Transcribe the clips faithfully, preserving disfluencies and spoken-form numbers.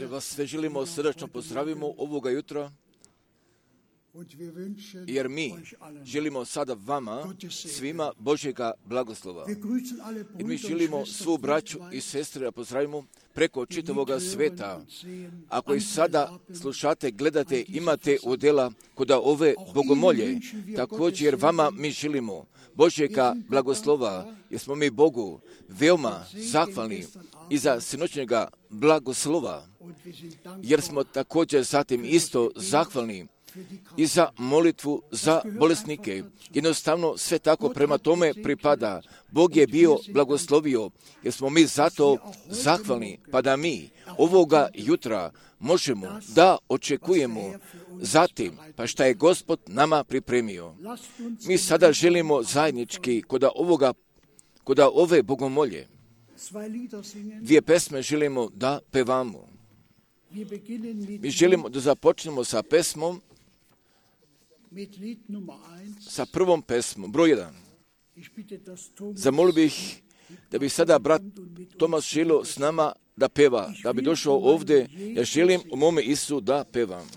Vas sve želimo srdačno pozdravimo ovoga jutra, jer mi želimo sada vama, svima, Božjega blagoslova. I mi želimo svu braću i sestre da pozdravimo preko čitavoga sveta. Ako i sada slušate, gledate, imate udjela kod ove bogomolje, također vama mi želimo Božjega blagoslova, jer smo mi Bogu veoma zahvalni i za sinoćnjega blagoslova, jer smo također zatim isto zahvalni i za molitvu za bolesnike. Jednostavno sve tako prema tome pripada. Bog je bio blagoslovio, jer smo mi zato zahvalni, pa da mi ovoga jutra možemo da očekujemo zatim, pa šta je Gospod nama pripremio. Mi sada želimo zajednički kod ovoga, kod ove bogomolje, dvije pesme želimo da pevamo. Mi želimo da započnemo sa pesmom, sa prvom pesmom, broj jedan. Zamolio bih da bi sada brat Tomas Šilo s nama da peva, da bi došao ovdje, ja želim u mome Isu da pevam.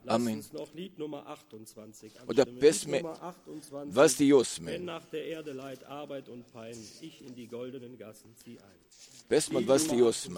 Amen. Od pesme dvadeset osam. Pesma dvadeset osam.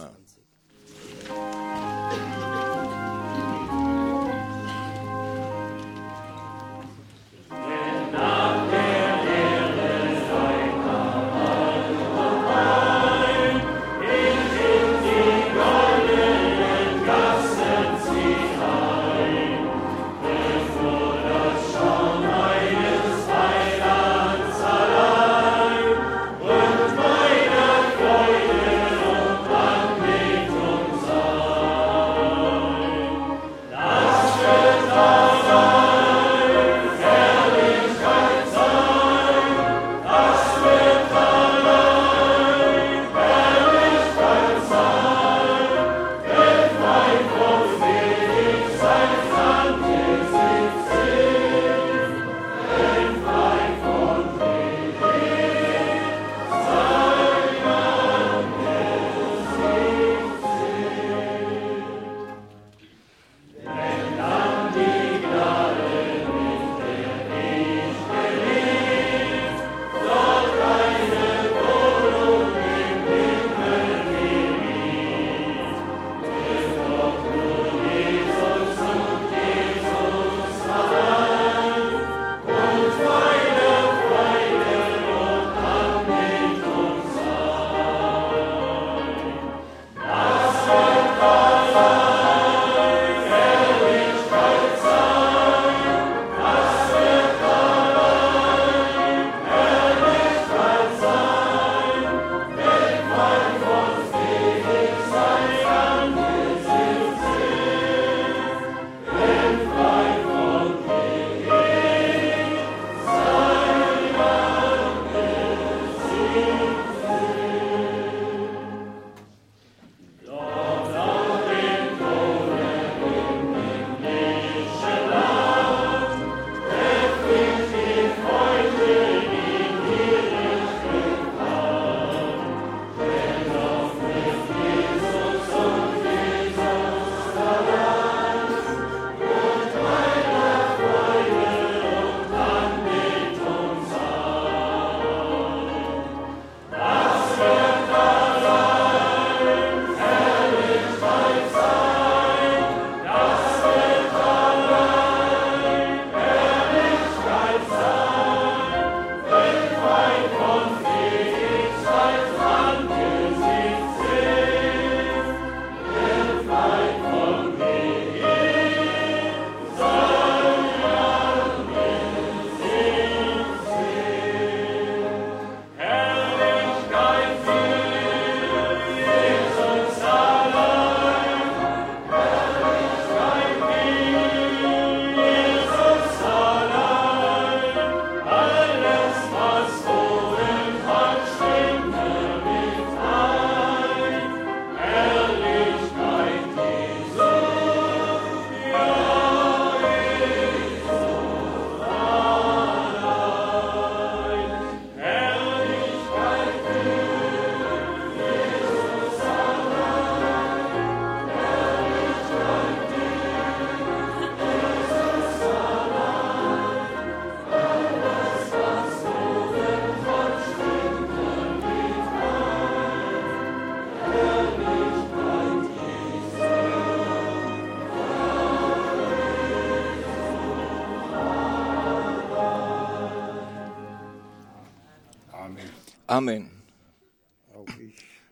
Amen.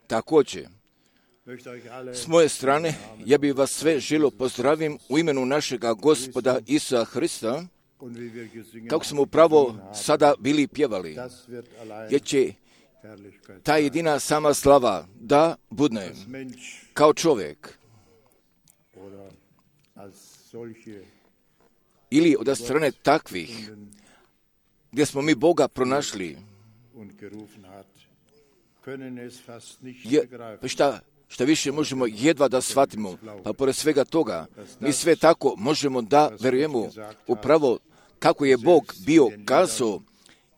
Također, s moje strane, ja bih vas sve želio pozdravim u imenu našega Gospoda Isusa Hrista, kako smo upravo sada bili pjevali, jer će ta jedina sama slava da budne kao čovjek ili od strane takvih gdje smo mi Boga pronašli. Je, pa šta, šta više možemo jedva da shvatimo, pa pored svega toga, mi sve tako možemo da verujemo upravo kako je Bog bio kazao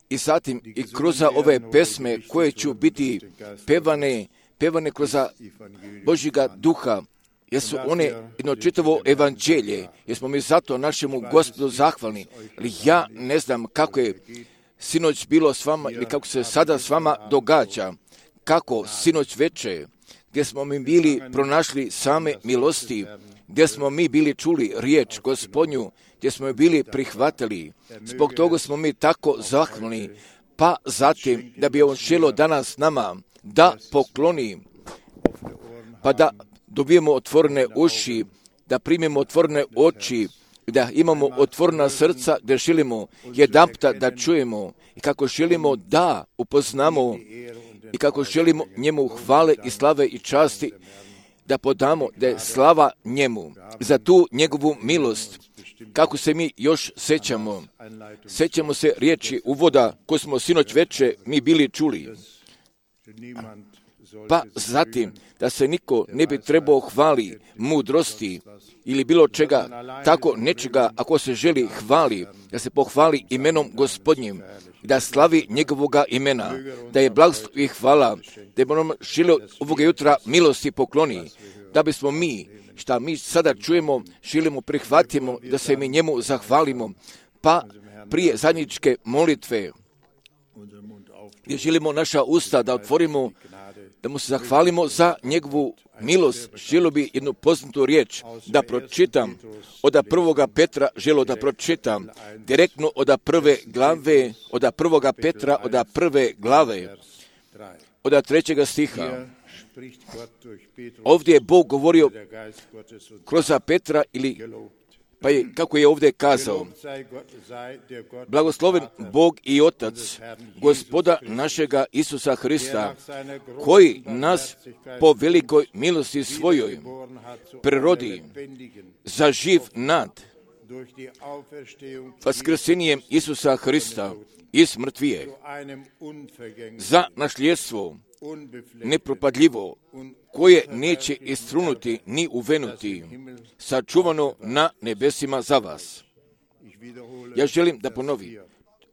i zatim i kroz ove pesme koje će biti pevane, pevane kroz Božjega duha, jer su one jedno čitavo evanđelje, jer smo mi zato našemu Gospodu zahvalni. Ali ja ne znam kako je sinoć bilo s vama ili kako se sada s vama događa, kako sinoć veče, gdje smo mi bili pronašli same milosti, gdje smo mi bili čuli riječ Gospodnju, gdje smo je bili prihvatili. Zbog toga smo mi tako zahvalni, pa zatim da bi on želio danas nama da pokloni, pa da dobijemo otvorene uši, da primimo otvorene oči, da imamo otvorena srca, da želimo jedanputa da čujemo i kako želimo da upoznamo i kako želimo njemu hvale i slave i časti, da podamo da je slava njemu za tu njegovu milost. Kako se mi još sećamo, sećamo se riječi uvoda koju smo sinoć veče mi bili čuli. Pa zatim, da se niko ne bi trebao hvali mudrosti ili bilo čega, tako nečega, ako se želi hvali, da se pohvali imenom Gospodnjim, da slavi njegovoga imena, da je blagstvo i hvala, da je nam želio ovoga jutra milosti pokloni, da bismo mi, šta mi sada čujemo, želimo prihvatimo, da se mi njemu zahvalimo, pa prije zajedničke molitve, gdje želimo naša usta da otvorimo, da mu se zahvalimo za njegovu milost. Želio bi jednu poznatu riječ da pročitam od prvoga Petra, želio da pročitam direktno od prve glave, od prvoga Petra, od prve glave, od trećega stiha. Ovdje je Bog govorio kroz Petra ili pa je, kako je ovdje kazao, blagosloven Bog i Otac, Gospoda našega Isusa Hrista, koji nas po velikoj milosti svojoj prirodi za živ nad vaskrsenjem Isusa Hrista iz mrtvije, za nasljedstvo nepropadljivo, koje neće istrunuti ni uvenuti, sačuvano na nebesima za vas. Ja želim da ponovim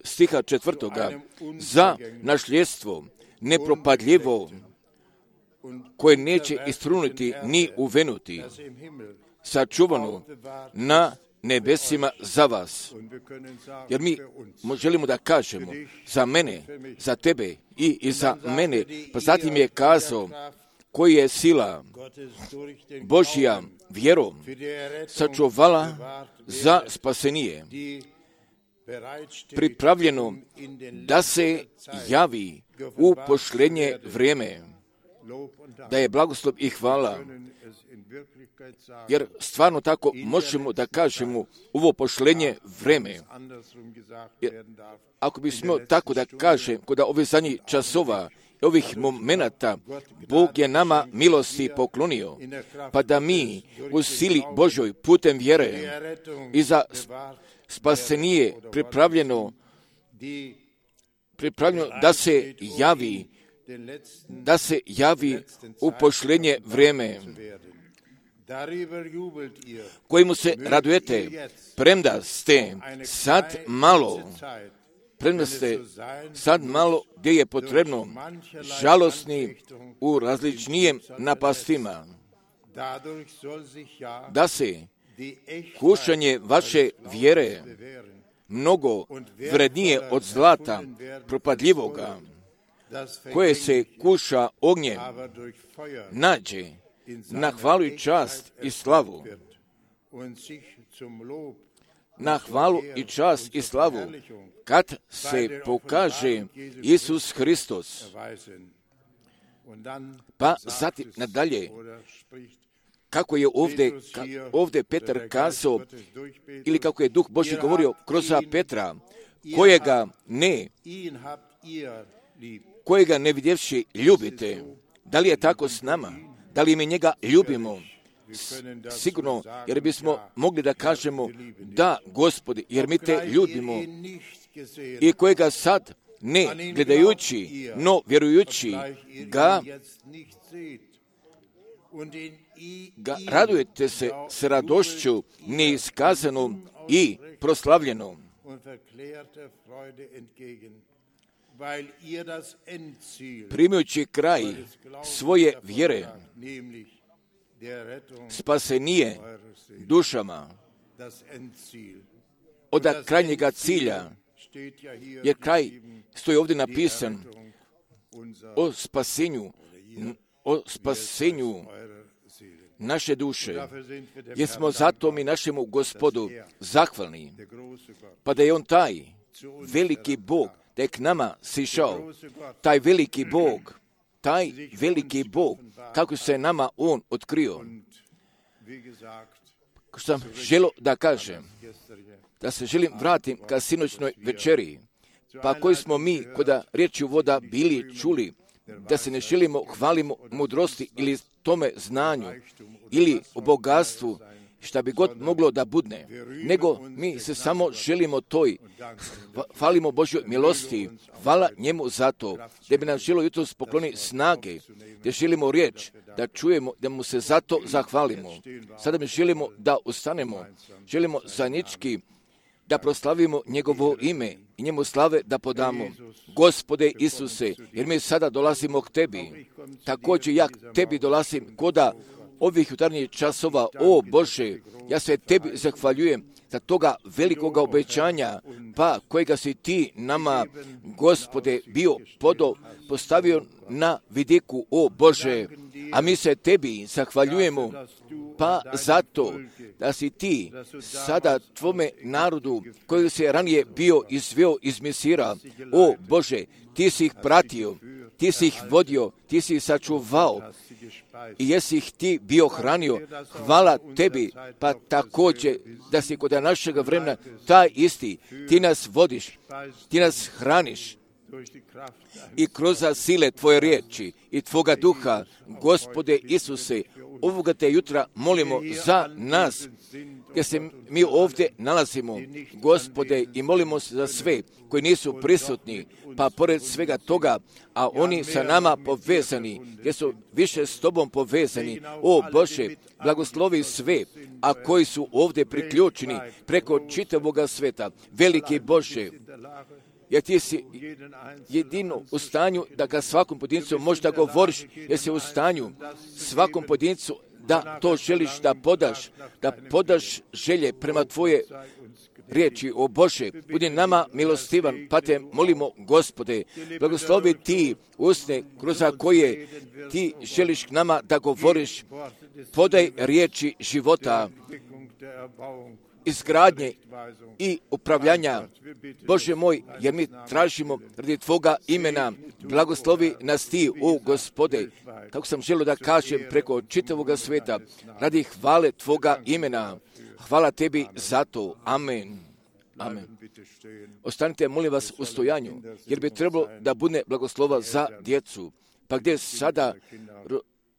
stiha četvrtoga, za nasljedstvo nepropadljivo, koje neće istrunuti ni uvenuti, sačuvano na nebesima za vas. Jer mi želimo da kažemo za mene, za tebe i, i za mene, pa zatim je kazao koji je sila Božja vjerom sačuvala za spasenije, pripravljeno da se javi u pošljenje vrijeme, da je blagoslov i hvala, jer stvarno tako možemo da kažemo ovo pošljenje vreme. Jer ako bismo tako da kažem, kod ovih zadnjih časova, ovih momenata, Bog je nama milosti poklonio, pa da mi u sili Božoj putem vjere i za spasenije pripravljeno, pripravljeno da se javi, da se javi u pošljenje vrijeme, kojemu se radujete, premda ste sad malo, premda ste sad malo gdje je potrebno žalosni u različnijem napastima, da se kušanje vaše vjere mnogo vrednije od zlata propadljivoga, koje se kuša ognjem, nađe na hvalu i čast i slavu, na hvalu i čast i slavu, kad se pokaže Isus Hristos. Pa zatim nadalje, kako je ovdje, ka, ovdje Petar kazao, ili kako je Duh Božji govorio kroz Petra, kojega ne, kojega ne vidjevši ljubite. Da li je tako s nama? Da li mi njega ljubimo? Sigurno, jer bismo mogli da kažemo, da, Gospodi, jer mi te ljubimo, i kojega sad ne gledajući, no vjerujući ga, ga radujete se s radošću neiskazanom i proslavljenom. Primajući kraj svoje vjere, spasenije dušama od krajnjega cilja, jer kraj stoji ovdje napisan o spasenju, o spasenju naše duše, jer smo zato mi našemu Gospodu zahvalni, pa da je on taj veliki Bog, da je k nama sišao, taj veliki Bog, taj veliki Bog, kako se nama on otkrio. Ko sam želio da kažem, da se želim vratim ka sinoćnoj večeri, pa koji smo mi, koda riječi voda bili čuli, da se ne želimo hvalimo mudrosti ili tome znanju, ili o bogatstvu, šta bi god moglo da budne, nego mi se samo želimo toj, hvalimo Božjoj milosti, hvala njemu za to, da bi nam želo jutros pokloni snage, da želimo riječ, da čujemo, da mu se zato zahvalimo. Sada mi želimo da ustanemo, želimo zajednički da proslavimo njegovo ime i njemu slave da podamo. Gospode Isuse, jer mi sada dolazimo k tebi, također ja k tebi dolazim koda ovih jutarnjih časova. O Bože, ja se tebi zahvaljujem za toga velikoga obećanja, pa kojega si ti nama, Gospode, bio podo, postavio na vidiku, o Bože, a mi se tebi zahvaljujemo, pa zato da si ti sada tvome narodu, koji se ranije bio izveo iz Misira, o Bože, ti si ih pratio, ti si ih vodio, ti si ih sačuvao i jesi ih ti bio hranio. Hvala tebi, pa također da si kod našega vremena taj isti, ti nas vodiš, ti nas hraniš i kroz sile tvoje riječi i tvoga duha, Gospode Isuse, ovoga te jutra molimo za nas, gdje se mi ovdje nalazimo, Gospode, i molimo se za sve koji nisu prisutni, pa pored svega toga, a oni sa nama povezani, gdje su više s tobom povezani, o Bože, blagoslovi sve, a koji su ovdje priključeni preko čitavoga sveta, veliki Bože, jer ti si jedino u stanju da ga svakom pojedincu možda govoriš, jer si u stanju svakom pojedincu da to želiš da podaš, da podaš želje prema tvoje riječi, o Bože, budi nama milostivan, pa te molimo, Gospode, blagoslovi ti usne kroz koje ti želiš k nama da govoriš, podaj riječi života, izgradnje i upravljanja. Bože moj, jer mi tražimo radi tvoga imena, blagoslovi nas ti, o Gospode, kako sam želio da kažem preko čitavoga sveta, radi hvale tvoga imena. Hvala tebi za to. Amen. Amen. Ostanite, molim vas, u stojanju, jer bi trebalo da bude blagoslova za djecu. Pa gdje sada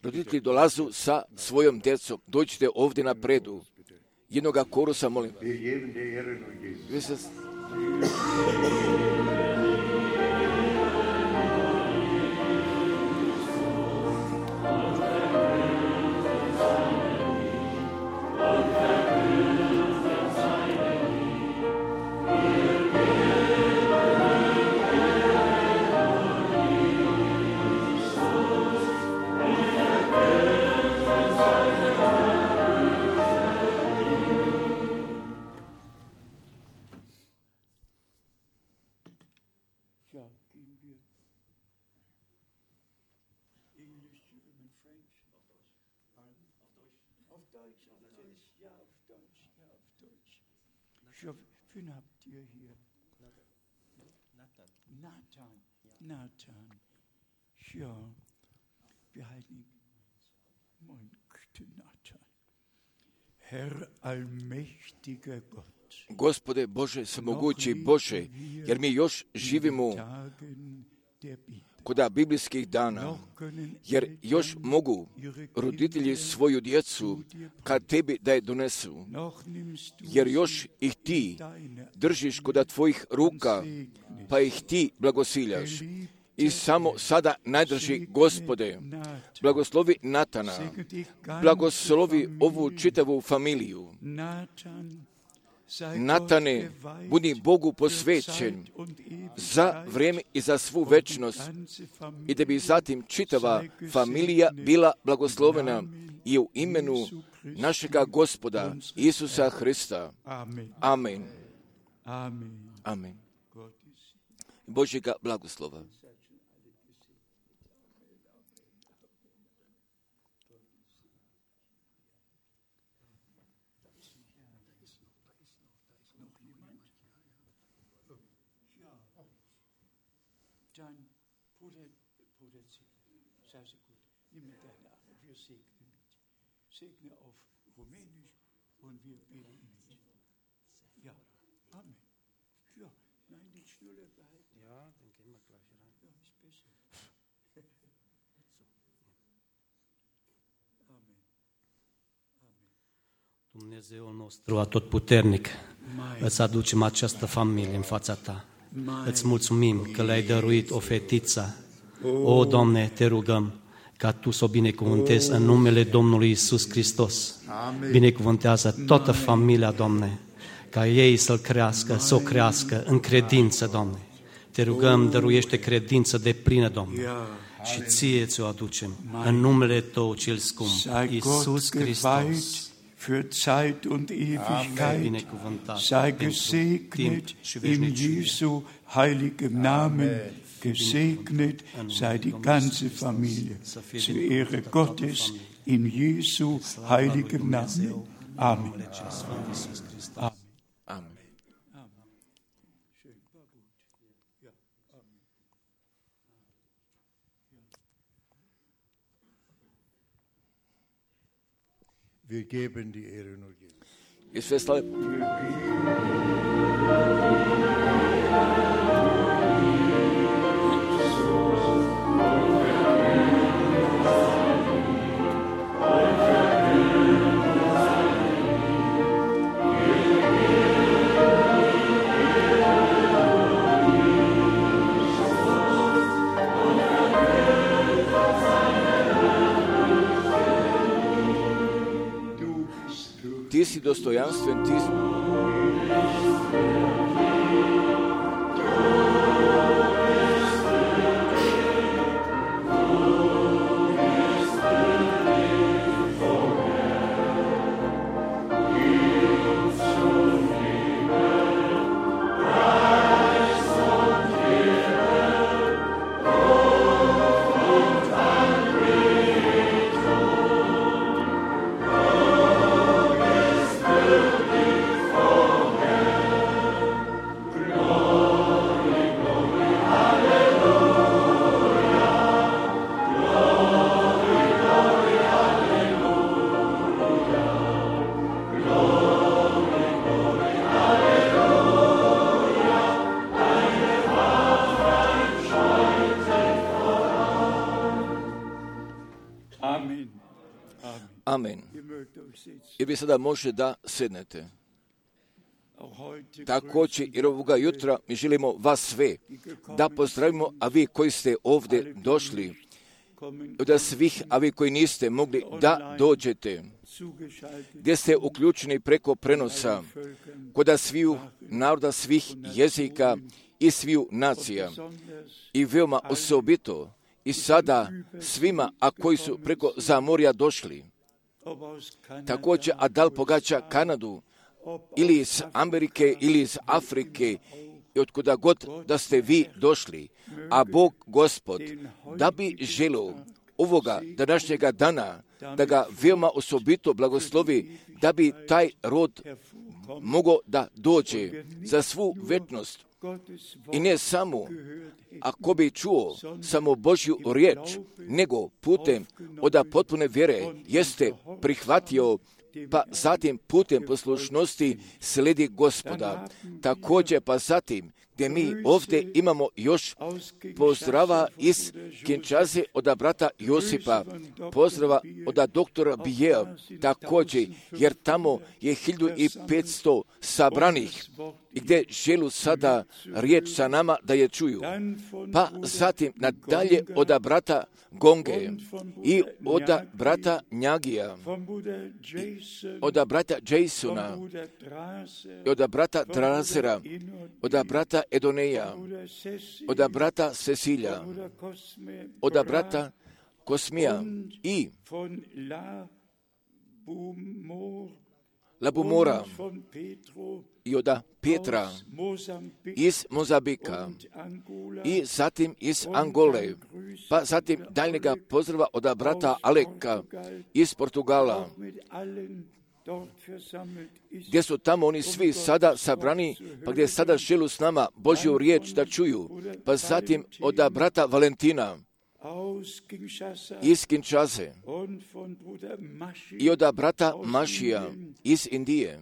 roditelji dolazu sa svojom djecom, dođite ovdje napredu. Jednoga korusa, molim. Gospode Bože, svemogući Bože, jer mi još živimo kod biblijskih dana, jer još mogu roditelji svoju djecu kad tebi da je donesu, jer još ih ti držiš kod tvojih ruka, pa ih ti blagosiljaš. I samo sada najdrži Gospode, blagoslovi Natana, blagoslovi ovu čitavu familiju. Natane, budi Bogu posvećen za vrijeme i za svu večnost i da bi zatim čitava familija bila blagoslovena i u imenu našega Gospoda Isusa Hrista. Amen. Amen. Božjega blagoslova. Dumnezeul nostru atotputernic, îți aducem această familie în fața ta. Îți mulțumim că le-ai dăruit o fetiță. O, Doamne, te rugăm ca Tu să o binecuvântezi în numele Domnului Iisus Hristos. Binecuvântează toată familia, Doamne, ca ei să-L crească, să o crească în credință, Doamne. Te rugăm, dăruiește credință de plină, Doamne, și Ție ți-o aducem în numele Tău cel scump, Iisus Hristos. Für Zeit und Ewigkeit, sei gesegnet in Jesu heiligem Namen, gesegnet sei die ganze Familie, zur Ehre Gottes in Jesu heiligem Namen. Amen. Amen. Wir geben die Ehre nur Jesus. Ist festhalten. Ti si dostojanstven, ti si... Amen. I vi sada može da sednete. Također, jer ovoga jutra mi želimo vas sve da pozdravimo, a vi koji ste ovdje došli, da svih, a vi koji niste mogli da dođete, gdje ste uključeni preko prenosa, kod sviju naroda, svih jezika i sviju nacija. I veoma osobito i sada svima, a koji su preko zamorja došli. Također, a da li pogađa Kanadu, ili iz Amerike, ili iz Afrike, i otkuda god da ste vi došli, a Bog, Gospod, da bi želio ovoga današnjega dana da ga veoma osobito blagoslovi, da bi taj rod mogao da dođe za svu večnost. I ne samo ako bi čuo samo Božju riječ, nego putem od potpune vjere jeste prihvatio, pa zatim putem poslušnosti sledi Gospoda. Također pa zatim gdje mi ovdje imamo još pozdrava iz Kinshase od brata Josipa, pozdrava od doktora Bijea, također, jer tamo je hiljadu petsto sabranih i gdje želu sada riječ sa nama da je čuju. Pa zatim nadalje od brata Gonge i od brata Njagija, od brata Jasona, od brata Drasera, od brata Edoneja, od brata Cecilija, od brata Kosmija i Labumora i od Petra iz Mozambika i zatim iz Angole, pa zatim daljnjega pozdrava od brata Aleka iz Portugala, gdje su tamo oni svi sada sabrani, pa gdje sada želu s nama Božju riječ da čuju, pa zatim od brata Valentina iz Kinshase i od brata Mašija iz Indije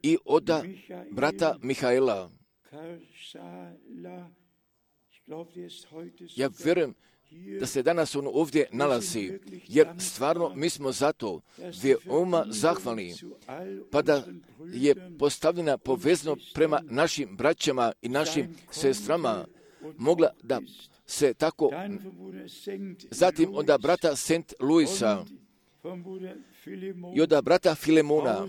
i od brata Mihaela. Ja vjerujem da se danas on ovdje nalazi, jer stvarno mi smo zato veoma zahvalni, pa da je postavljena povezno prema našim braćama i našim sestrama, mogla da se tako, zatim od brata Saint Louisa i od brata Filemona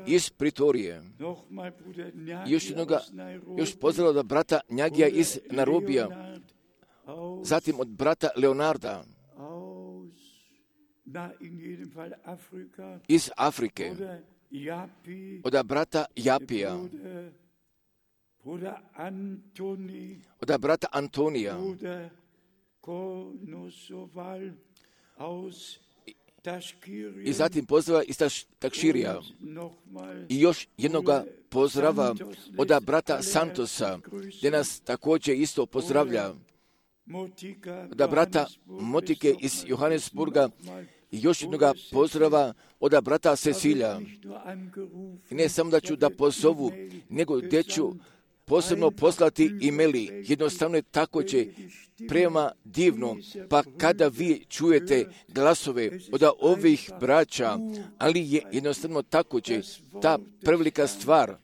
iz Pritorije, još jednoga, još pozdrav od brata Njagija iz Nairobija, zatim od brata Leonarda iz Afrike, od brata Japija, od brata Antonija i zatim pozdrava iz Takširija i još jednoga pozdrava od brata Santosa, gdje nas također isto pozdravlja, od brata Motike iz Johannesburga i još jednoga pozdrava od brata Cecilija. I ne samo da ću da pozovu, nego gdje ću posebno poslati e-maili. Jednostavno je tako će prema divno, pa kada vi čujete glasove od ovih braća, ali je jednostavno tako će ta prevelika stvar,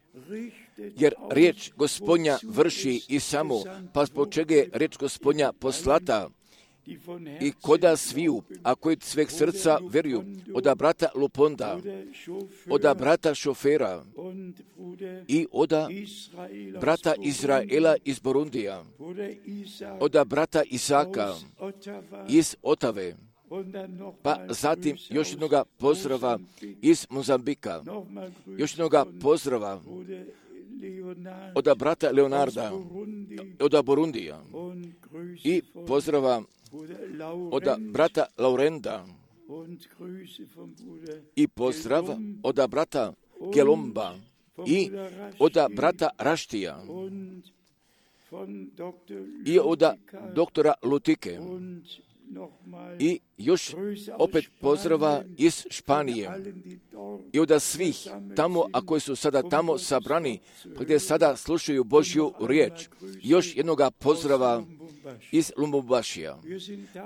jer riječ Gospodnja vrši i samo, pa zbog čega je riječ Gospodnja poslata i koda sviju, a koji sveg srca vjeruju, od brata Luponda, od brata Šofera i od brata Izraela iz Burundija, od brata Isaka iz Otave, pa zatim još jednoga pozdrava iz Mozambika, još jednoga pozdrava od brata Leonarda, od Burundija i pozdrava od brata Laurenda i pozdrava od brata Gelomba i od brata Raštija i od doktora Lutike i još opet pozdrava iz Španije i od svih tamo, a koji su sada tamo sabrani, gdje sada slušaju Božju riječ. Još jednoga pozdrava iz Lumumbašija.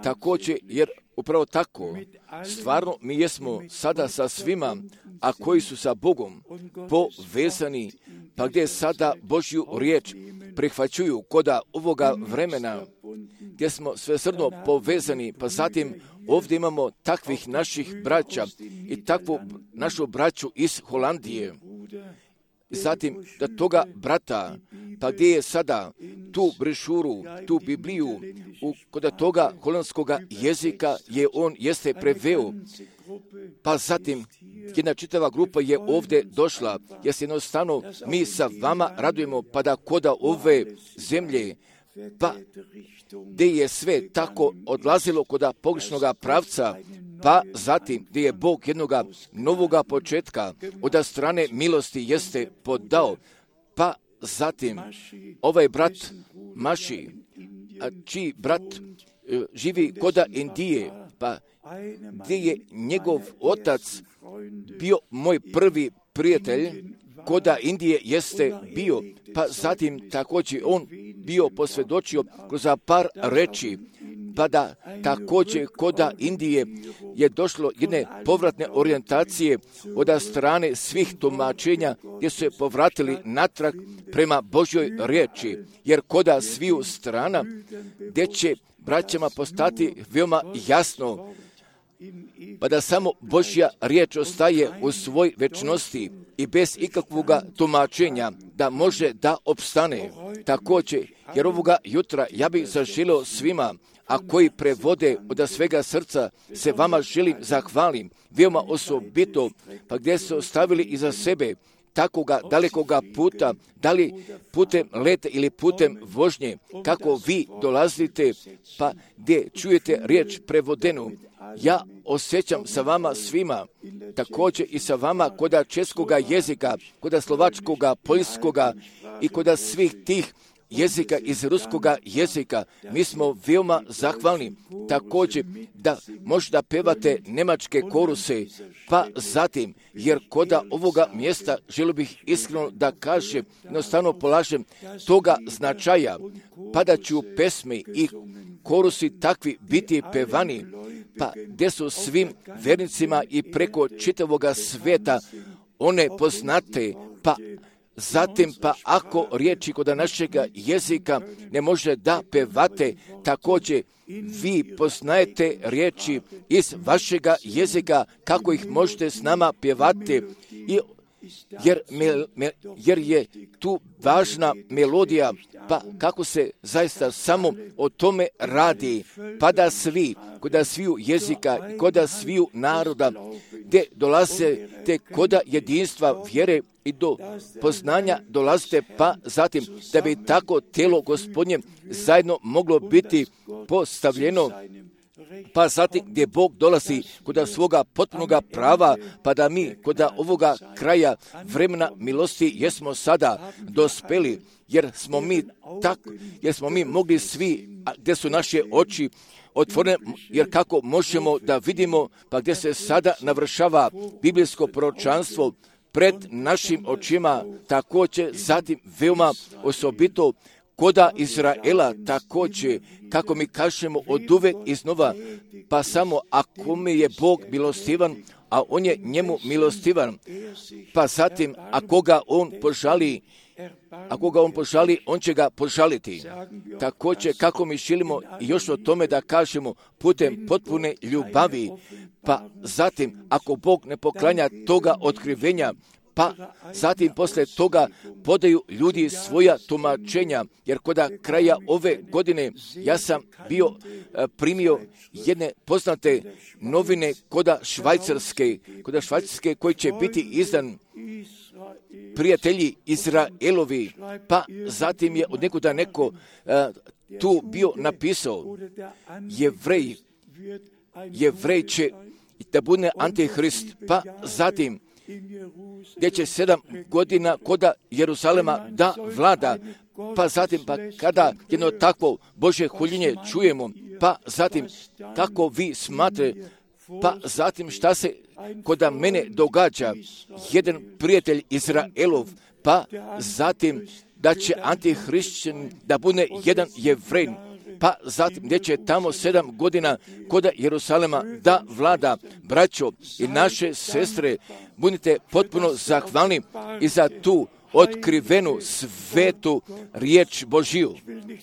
Također, jer upravo tako, stvarno mi jesmo sada sa svima, a koji su sa Bogom povezani, pa gdje sada Božju riječ prihvaćuju koda ovoga vremena, gdje smo svesrdno povezani, pa zatim ovdje imamo takvih naših braća i takvu našu braću iz Holandije. Zatim da toga brata, pa gdje je sada tu brešuru, tu Bibliju, u, kod toga holandskoga jezika je on jeste preveo, pa zatim jedna čitava grupa je ovdje došla, jer se jednostavno mi sa vama radujemo, pa da koda ove zemlje, pa gdje je sve tako odlazilo kod pogrešnoga pravca, pa zatim gdje je Bog jednoga novoga početka od strane milosti jeste podao, pa zatim ovaj brat Maši, čiji brat živi koda Indije, pa gdje je njegov otac bio moj prvi prijatelj, koda Indije jeste bio, pa zatim također on bio posvjedočio kroz par reči, pa da također koda Indije je došlo jedne povratne orijentacije od strane svih tumačenja gdje su se povratili natrag prema Božjoj riječi, jer koda sviju strana gdje će braćama postati veoma jasno, pa da samo Božja riječ ostaje u svoj večnosti i bez ikakvog tumačenja da može da opstane. Također, jer ovoga jutra ja bih zaželio svima, a koji prevode od svega srca, se vama želim zahvalim, veoma osobito, pa gdje ste ostavili iza sebe takoga dalekoga puta, da li putem leta ili putem vožnje, kako vi dolazite, pa gdje čujete riječ prevodenu. Ja osjećam sa vama svima, također i sa vama koda českoga jezika, koda slovačkoga, poljskoga i koda svih tih jezika iz ruskoga jezika. Mi smo veoma zahvalni također da možda pevate nemačke koruse, pa zatim, jer koda ovoga mjesta želio bih iskreno da kažem, jednostavno polažem toga značaja, pa da ću pesme i korusi takvi biti pevani, pa gdje su svim vernicima i preko čitavoga svijeta one poznate, pa zatim pa ako riječi kod našega jezika ne može da pevate, također vi poznajete riječi iz vašega jezika, kako ih možete s nama pjevati, i jer, me, me, jer je tu važna melodija, pa kako se zaista samo o tome radi, pa da svi, koda sviju jezika, koda sviju naroda, gdje dolaze te koda jedinstva vjere i do poznanja dolazite, pa zatim da bi tako tijelo Gospodnje zajedno moglo biti postavljeno, pa zatim gdje Bog dolazi kod svoga potpunoga prava, pa da mi kod ovoga kraja vremena milosti jesmo sada dospeli, jer smo mi tak, jer smo mi mogli svi, gdje su naše oči otvorene, jer kako možemo da vidimo, pa gdje se sada navršava biblijsko proročanstvo pred našim očima, također zatim veoma osobito koda Izraela, također, kako mi kažemo od uvek iznova, pa samo ako mi je Bog milostivan, a on je njemu milostivan, pa zatim ako ga on požali, ako ga on požali, on će ga požaliti. Također, kako mi želimo još o tome da kažemo putem potpune ljubavi, pa zatim ako Bog ne poklanja toga otkrivenja, pa zatim posle toga podaju ljudi svoja tumačenja, jer koda kraja ove godine ja sam bio primio jedne poznate novine koda Švajcarske, koda Švajcarske koji će biti izdan prijatelji Izraelovi, pa zatim je od nekuda neko uh, tu bio napisao, Jevrej, Jevrej će da bude antihrist, pa zatim gdje će sedam godina koda Jeruzalema da vlada, pa zatim pa kada jedno takvo Božje huljenje čujemo, pa zatim kako vi smatrate, pa zatim šta se koda mene događa, jedan prijatelj Izraelov, pa zatim da će antihrišćan da bude jedan Jevrej, pa zatim gdje će tamo sedam godina koda Jeruzalema da vlada. Braćo i naše sestre, budite potpuno zahvalni i za tu otkrivenu svetu riječ Božiju.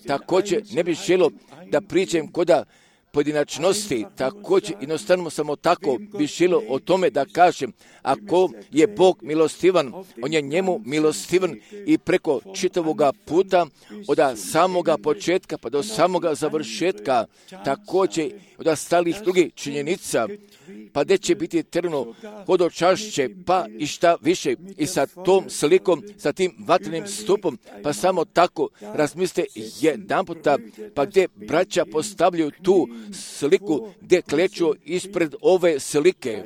Također ne bih želio da pričam koda pojedinačnosti, također jednostavno samo tako bi želio o tome da kažem, ako je Bog milostivan, on je njemu milostivan i preko čitavoga puta, od samoga početka pa do samoga završetka, također od ostalih drugih činjenica, pa gdje će biti trno hodočašće, pa i šta više, i sa tom slikom, sa tim vatrenim stupom, pa samo tako razmislite jedan puta, pa gdje braća postavljaju tu sliku, gdje kleću ispred ove slike.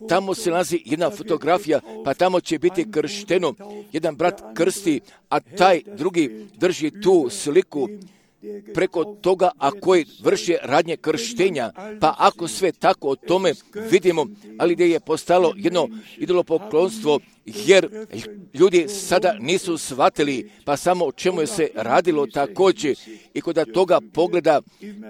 Tamo se nalazi jedna fotografija, pa tamo će biti kršteno. Jedan brat krsti, a taj drugi drži tu sliku preko toga, a koji vrši radnje krštenja. Pa ako sve tako o tome vidimo, ali gdje je postalo jedno idolopoklonstvo, jer ljudi sada nisu shvatili, pa samo o čemu je se radilo također. I kod toga pogleda,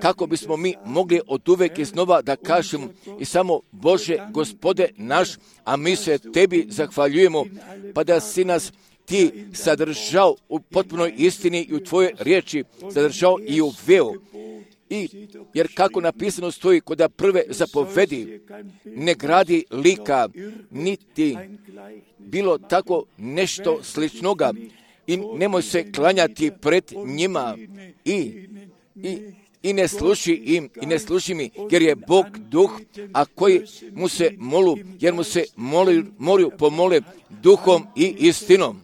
kako bismo mi mogli od uvek iznova da kažemo i samo Bože, Gospode naš, a mi se Tebi zahvaljujemo, pa da si nas Ti sadržao u potpunoj istini i u Tvojoj riječi, sadržao i uveo. I, jer kako napisano stoji kod prve zapovedi, ne gradi lika, niti bilo tako nešto sličnoga i nemoj se klanjati pred njima i, i, i ne sluši im, i ne sluši mi, jer je Bog duh, a koji mu se molu, jer mu se moli, moraju pomole duhom i istinom.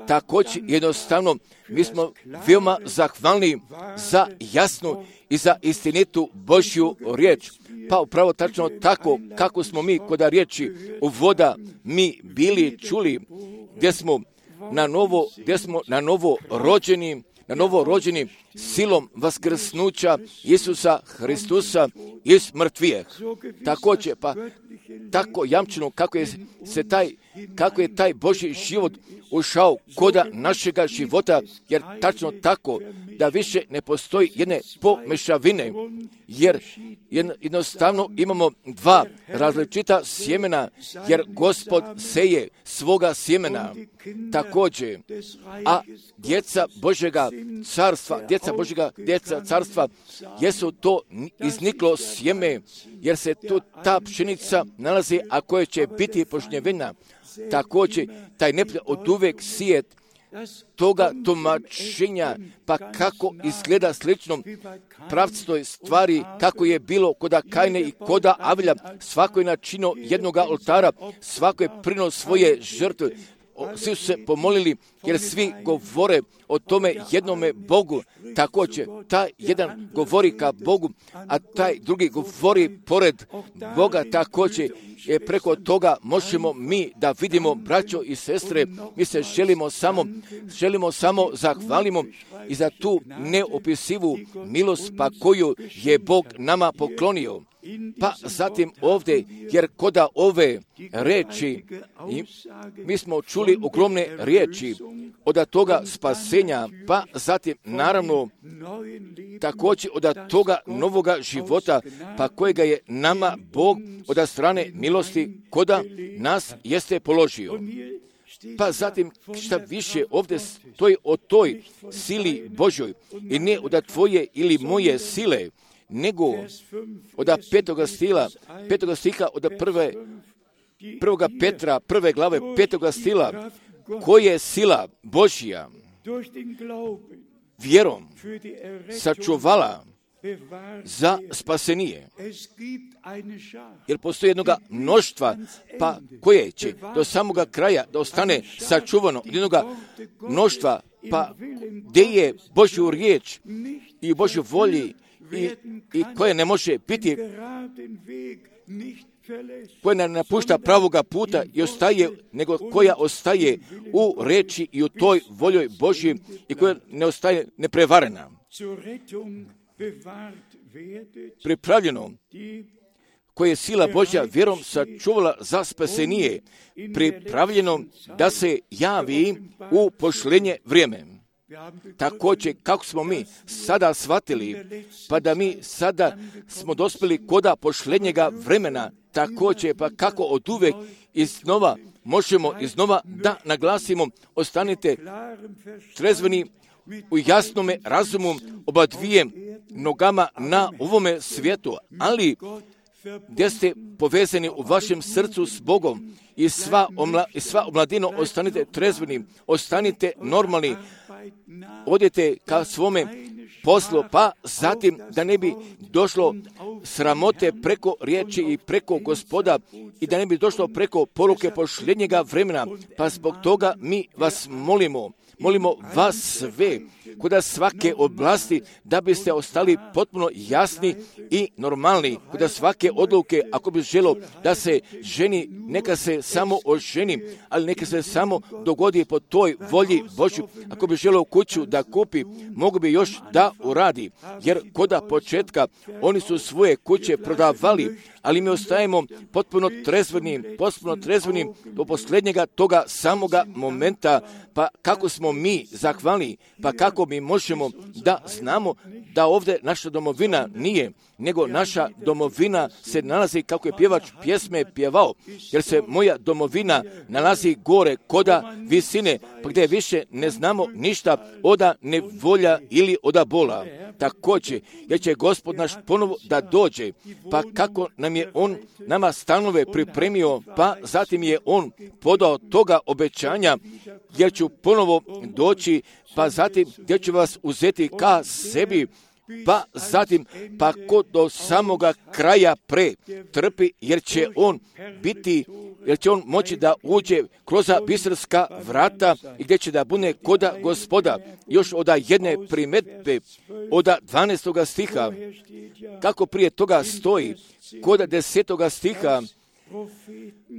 Također jednostavno mi smo veoma zahvalni za jasnu i za istinitu Božju riječ. Pa upravo tačno tako kako smo mi kod riječi u voda mi bili čuli, gdje smo na novo, gdje smo na novo rođeni, na novo rođeni silom vaskrsnuća Isusa Hristusa iz mrtvije. Također, pa tako jamčeno kako je se taj, kako je taj Božji život ušao koda našega života, jer tačno tako da više ne postoji jedne pomešavine, jer jednostavno imamo dva različita sjemena, jer Gospod seje svoga sjemena također, a djeca Božjega carstva, djeca Božjega, djeca carstva, jesu to izniklo sjeme, jer se tu ta pšenica nalazi, a koja će biti požnjevina. Također, taj neprijatelj od uvek sijet toga tumačenja, pa kako izgleda slično pravcitoj stvari, kako je bilo koda Kajne i koda Avilja, svako je načinio jednoga oltara, svako je prinuo svoje žrtve, svi su se pomolili, jer svi govore o tome jednome Bogu. Također, taj jedan govori ka Bogu, a taj drugi govori pored Boga. Također, je preko toga možemo mi da vidimo, braćo i sestre, mi se želimo samo, želimo samo zahvalimo i za tu neopisivu milost, pa koju je Bog nama poklonio. Pa zatim ovdje, jer koda ove reči, mi smo čuli ogromne riječi od toga spasenja, pa zatim naravno također od toga novoga života, pa kojega je nama Bog od strane milosti koda nas jeste položio. Pa zatim šta više ovdje stoji o toj sili Božoj i ne od tvoje ili moje sile, nego od petoga stila, petoga stiha od prve, prvoga Petra, prve glave petoga stila, koja je sila Božja vjerom sačuvala za spasenije. Jer postoji jednoga mnoštva, pa koje će do samoga kraja da ostane sačuvano, jednoga mnoštva, pa gdje je Božju riječ i Božju volji i, i koje ne može biti, koja ne napušta pravoga puta i ostaje, nego koja ostaje u reči i u toj voljoj Božji i koja ne ostaje neprevarena. Pripravljeno, koje je sila Božja vjerom sačuvala za spasenije, pripravljeno da se javi u pošlenje vrijeme. Također, kako smo mi sada shvatili, pa da mi sada smo dospjeli koda pošlenjega vremena, također, pa kako od uvek iznova možemo iznova da naglasimo, ostanite trezveni u jasnome razumu oba dvije nogama na ovome svijetu, ali gdje ste povezani u vašem srcu s Bogom i sva, omla, i sva omladino ostanite trezveni, ostanite normalni, odete ka svome poslu, pa zatim da ne bi došlo sramote preko riječi i preko Gospoda i da ne bi došlo preko poruke posljednjega vremena, pa zbog toga mi vas molimo, molimo vas sve, kod svake oblasti, da biste ostali potpuno jasni i normalni, kod svake odluke, ako bi želo da se ženi, neka se samo oženi, ali neka se samo dogodi po toj volji Božju. Ako bi želo kuću da kupi, mogu bi još da uradi, jer kod početka oni su svoje kuće prodavali, ali mi ostajemo potpuno trezvenim, potpuno trezvenim do posljednjega toga samoga momenta, pa kako smo mi zahvalni, pa kako mi možemo da znamo da ovdje naša domovina nije, nego naša domovina se nalazi, kako je pjevač pjesme pjevao, jer se moja domovina nalazi gore koda visine, pa gdje više ne znamo ništa oda nevolja ili oda bola. Također, jer će Gospod naš ponovo da dođe, pa kako nam je On nama stanove pripremio, pa zatim je On podao toga obećanja, jer ću ponovo doći, pa zatim gdje ću vas uzeti ka sebi, pa zatim, pa ko do samoga kraja pre trpi, jer će on biti, jer će on moći da uđe kroz bistarska vrata i gdje će da bude koda Gospoda. Još od jedne primjedbe, od dvanaestoga stiha, kako prije toga stoji, kod desetoga stiha,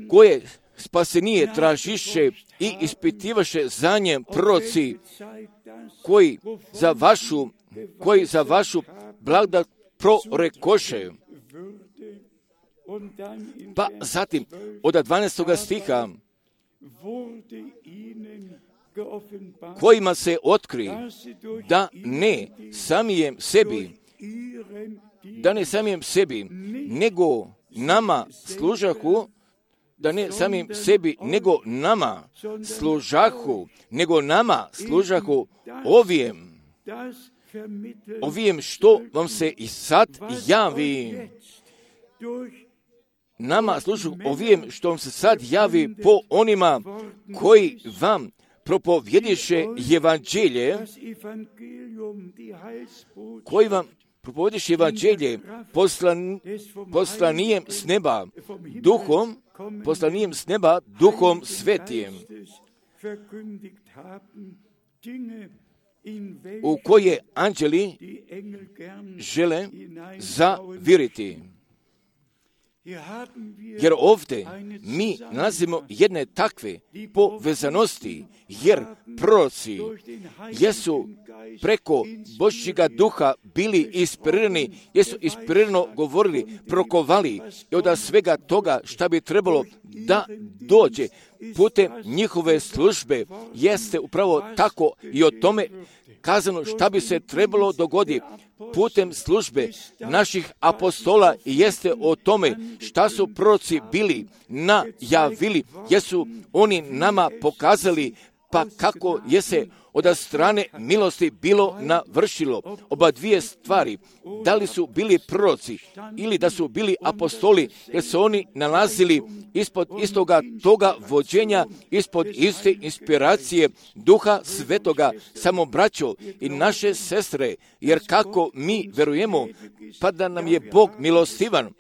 koje spasenije tražiše i ispitivaše za njem proroci, koji za vašu koji za vašu blagodat prorekoše. Pa zatim, od dvanaestoga stiha, kojima se otkri da ne samijem sebi, da ne samijem sebi, nego nama služahu, da ne samim sebi, nego nama služahu, nego nama služahu ovijem, ovijem što vam se i sad javi, nama služu ovijem što vam se sad javi po onima koji vam propovjediše evanđelje, koji vam propovjediše evanđelje poslan, poslanijem s neba, duhom, poslanijem s neba, duhom svetijem, u koje anđeli žele zaviriti. Jer ovdje mi nalazimo jedne takve povezanosti, jer proroci jesu preko Božjega duha bili inspirirani, jesu inspirirano govorili, prokovali i od svega toga šta bi trebalo da dođe putem njihove službe, jeste upravo tako i o tome kazano šta bi se trebalo dogoditi putem službe naših apostola i jeste o tome šta su proroci bili najavili, jesu oni nama pokazali, pa kako je se od strane milosti bilo navršilo. Oba dvije stvari, da li su bili proroci ili da su bili apostoli, jer su oni nalazili ispod istoga toga vođenja, ispod iste inspiracije Duha Svetoga, samo braćo i naše sestre, jer kako mi verujemo, pa da nam je Bog milostivan,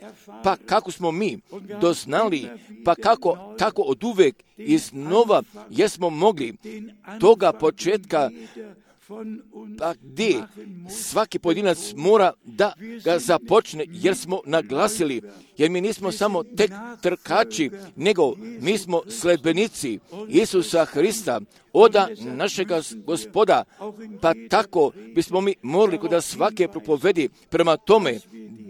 pa kako smo mi doznali, pa kako tako od uvek iznova jesmo mogli toga početka, pa gdje svaki pojedinac mora da ga započne, jer smo naglasili, jer mi nismo samo tek trkači, nego mi smo sledbenici Isusa Hrista, oda našega Gospoda, pa tako bismo mi morali kod svake propovedi prema tome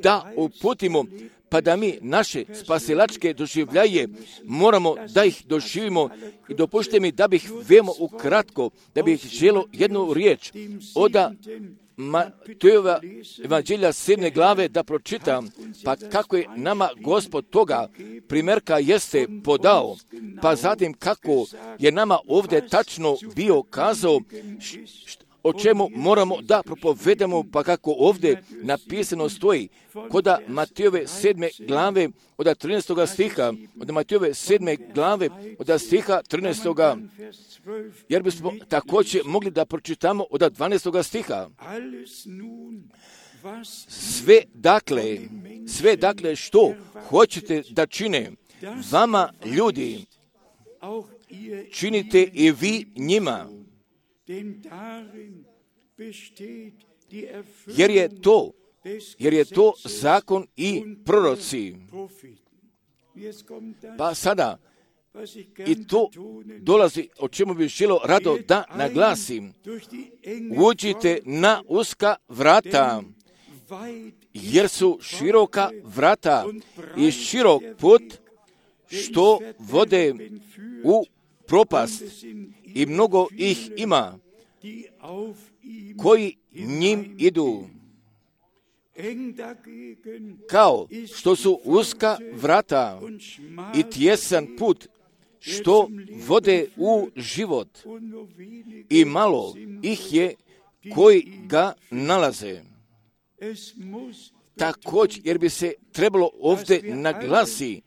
da uputimo, pa da mi naše spasilačke doživljaje moramo da ih doživimo. I dopušte mi da bih veoma ukratko, da bih želio jednu riječ oda Matejova evanđelja sedme glave da pročitam, pa kako je nama Gospod toga primjerka jeste podao, pa zatim kako je nama ovdje tačno bio kazao o čemu moramo da propovedamo, pa kako ovdje napisano stoji, koda Matejove sedme glave, od trinaestoga stiha, od Matejove sedme glave, od stiha trinaestoga, jer bismo također mogli da pročitamo od dvanaestoga stiha. Sve dakle, sve dakle što hoćete da čine vama ljudi, činite i vi njima, jer je to, jer je to zakon i proroci. Pa sada, i to dolazi, o čemu bih želio rado da naglasim, uđite na uska vrata, jer su široka vrata i širok put što vode u propast i mnogo ih ima koji njim idu. Kao što su uska vrata i tjesan put što vode u život i malo ih je koji ga nalaze. Također, jer bi se trebalo ovdje naglasi,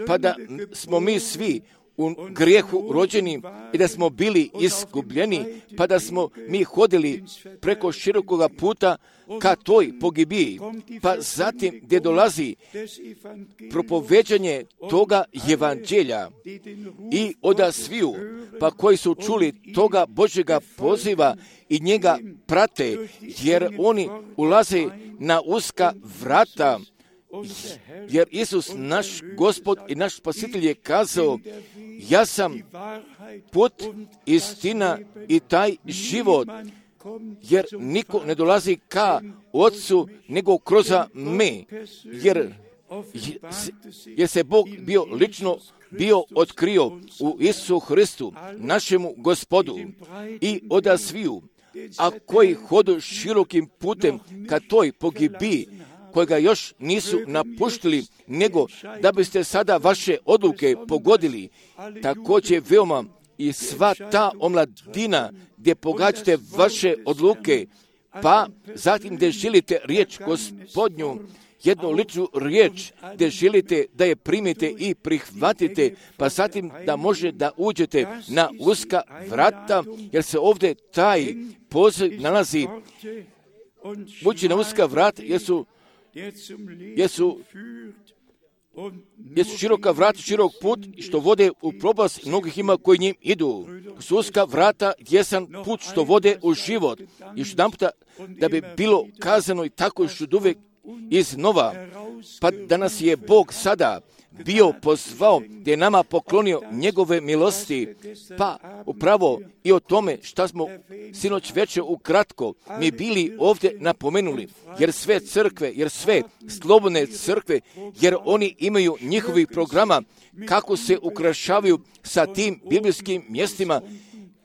pa da smo mi svi u grijehu rođeni i da smo bili izgubljeni, pa da smo mi hodili preko širokoga puta ka toj pogibiji, pa zatim gdje dolazi propoveđanje toga evanđelja i oda sviju, pa koji su čuli toga Božjega poziva i njega prate, jer oni ulaze na uska vrata, jer Isus, naš Gospod i naš Spasitelj, je kazao, ja sam put, istina i taj život, jer niko ne dolazi ka Otcu nego kroz me, jer, jer se Bog bio lično bio otkrio u Isusu Hristu, našemu Gospodu, i oda sviju, a koji hodu širokim putem ka toj pogibiji, kojega još nisu napuštili, nego da biste sada vaše odluke pogodili, također veoma i sva ta omladina gdje pogađate vaše odluke, pa zatim gdje želite riječ Gospodnju, jednu ličnu riječ gdje želite da je primite i prihvatite, pa zatim da može da uđete na uska vrata, jer se ovdje taj poziv nalazi. Ući na uska vrata, jer su Jesu, jesu široka vrata, širok put što vode u propast, mnogih ima koji njim idu. Su uska vrata, jesan put što vode u život. Još jedan puta da bi bilo kazano i tako još od uvijek iznova, pa da nas je Bog sada bio pozvao, gdje je nama poklonio njegove milosti, pa upravo i o tome šta smo sinoć večer ukratko mi bili ovdje napomenuli, jer sve crkve, jer sve slobodne crkve, jer oni imaju njihovih programa kako se ukrašavaju sa tim biblijskim mjestima,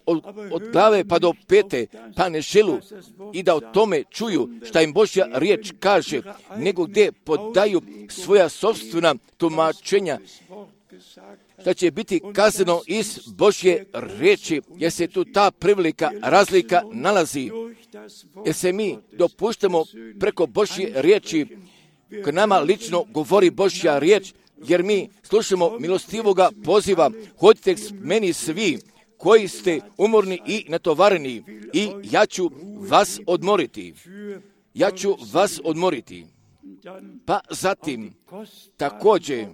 Od, od glave pa do pete, pa ne želu i da o tome čuju šta im Božja riječ kaže, nego gdje podaju svoja sopstvena tumačenja, šta će biti kazano iz Božje riječi, jer se tu ta prevelika razlika nalazi, jer se mi dopuštamo preko Božje riječi, k nama lično govori Božja riječ, jer mi slušamo milostivoga poziva, hodite k meni svi koji ste umorni i natovareni, i ja ću vas odmoriti. Ja ću vas odmoriti. Pa zatim, također,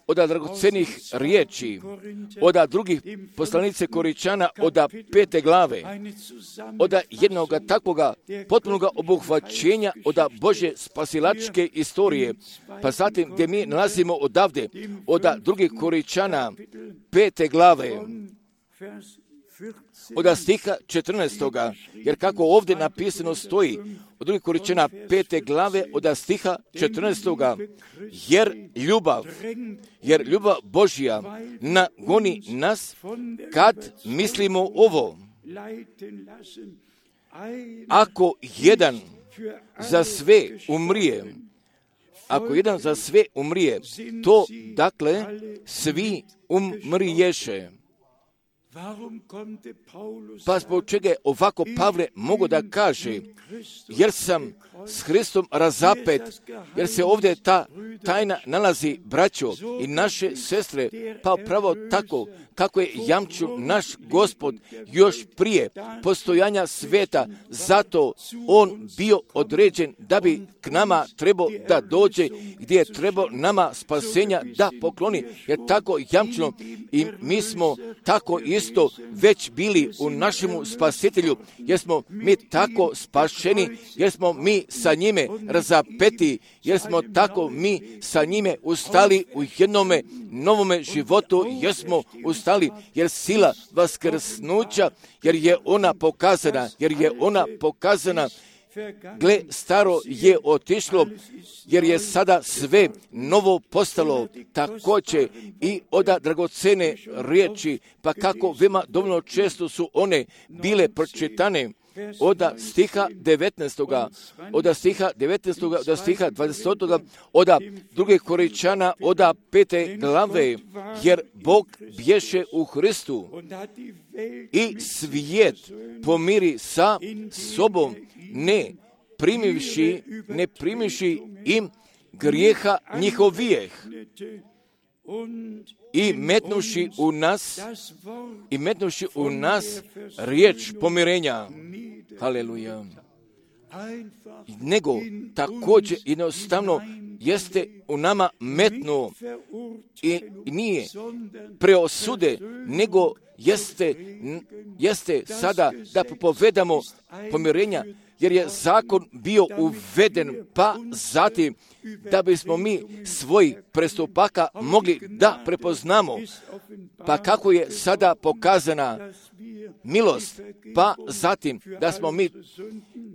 od dragocenih riječi, od drugih poslanice Koričana, od pete glave, od jednog takvoga potpunoga obuhvaćenja od Božje spasilačke istorije, pa zatim gdje mi nalazimo odavde, od drugih Koričana, pete glave, od stiha četrnaestoga, jer kako ovdje napisano stoji, od drugih Koričana pete glave, od stiha četrnaestoga, jer ljubav, jer ljubav Božja nagoni nas kad mislimo ovo. Ako jedan za sve umrije, ako jedan za sve umrije, to dakle svi umriješe. Pa zbog čega je ovako Pavle mogu da kaže, jer sam s Hristom razapet, jer se ovdje ta tajna nalazi, braćo i naše sestre, pa pravo tako kako je jamčio naš Gospod još prije postojanja sveta, zato on bio određen da bi k nama trebao da dođe, gdje je trebao nama spasenja da pokloni, jer tako jamčeno i mi smo tako isto već bili u našemu spasitelju, jer smo mi tako spašeni, jer smo mi sa njime razapeti, jer smo tako mi sa njime ustali u jednome novome životu, jer smo ustali, jer sila vaskrsnuća, jer je ona pokazana, jer je ona pokazana, gle, staro je otišlo, jer je sada sve novo postalo, također i oda dragocene riječi, pa kako veoma dovoljno često su one bile pročitane, oda stiha devetnaestoga, oda stiha devetnaestoga, oda stiha dvadesetoga, oda druge Korinčana, oda pete glave, jer Bog bješe u Hristu i svijet pomiri sa sobom, ne primivši, ne primivši im grijeha njihovijeh i metnuši u nas, i metnuši u nas riječ pomirenja. Haleluja. Nego također jednostavno jeste u nama metnuo i nije preosude, nego jeste, jeste sada da propovedamo pomirenja, jer je zakon bio uveden, pa zatim da bismo mi svoj prestupaka mogli da prepoznamo, pa kako je sada pokazana milost, pa zatim da smo mi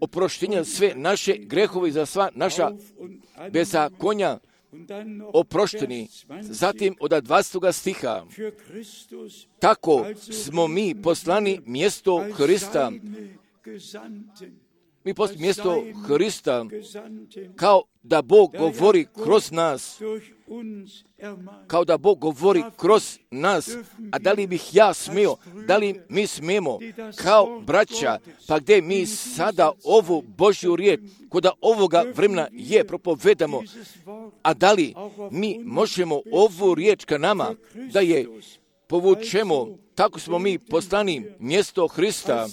oproštenja sve naše grehove za sva naša bezakonja oprošteni. Zatim od dvadestog stiha, tako smo mi poslani mjesto Hrista, mi poslije mjesto Hrista, kao da Bog govori kroz nas, kao da Bog govori kroz nas, a da li bih ja smio, da li mi smijemo, kao braća, pa gdje mi sada ovu Božju riječ, koda ovoga vremena je propovedamo, a da li mi možemo ovu riječ ka nama, da je povučemo, tako smo mi poslani mjesto Hrista,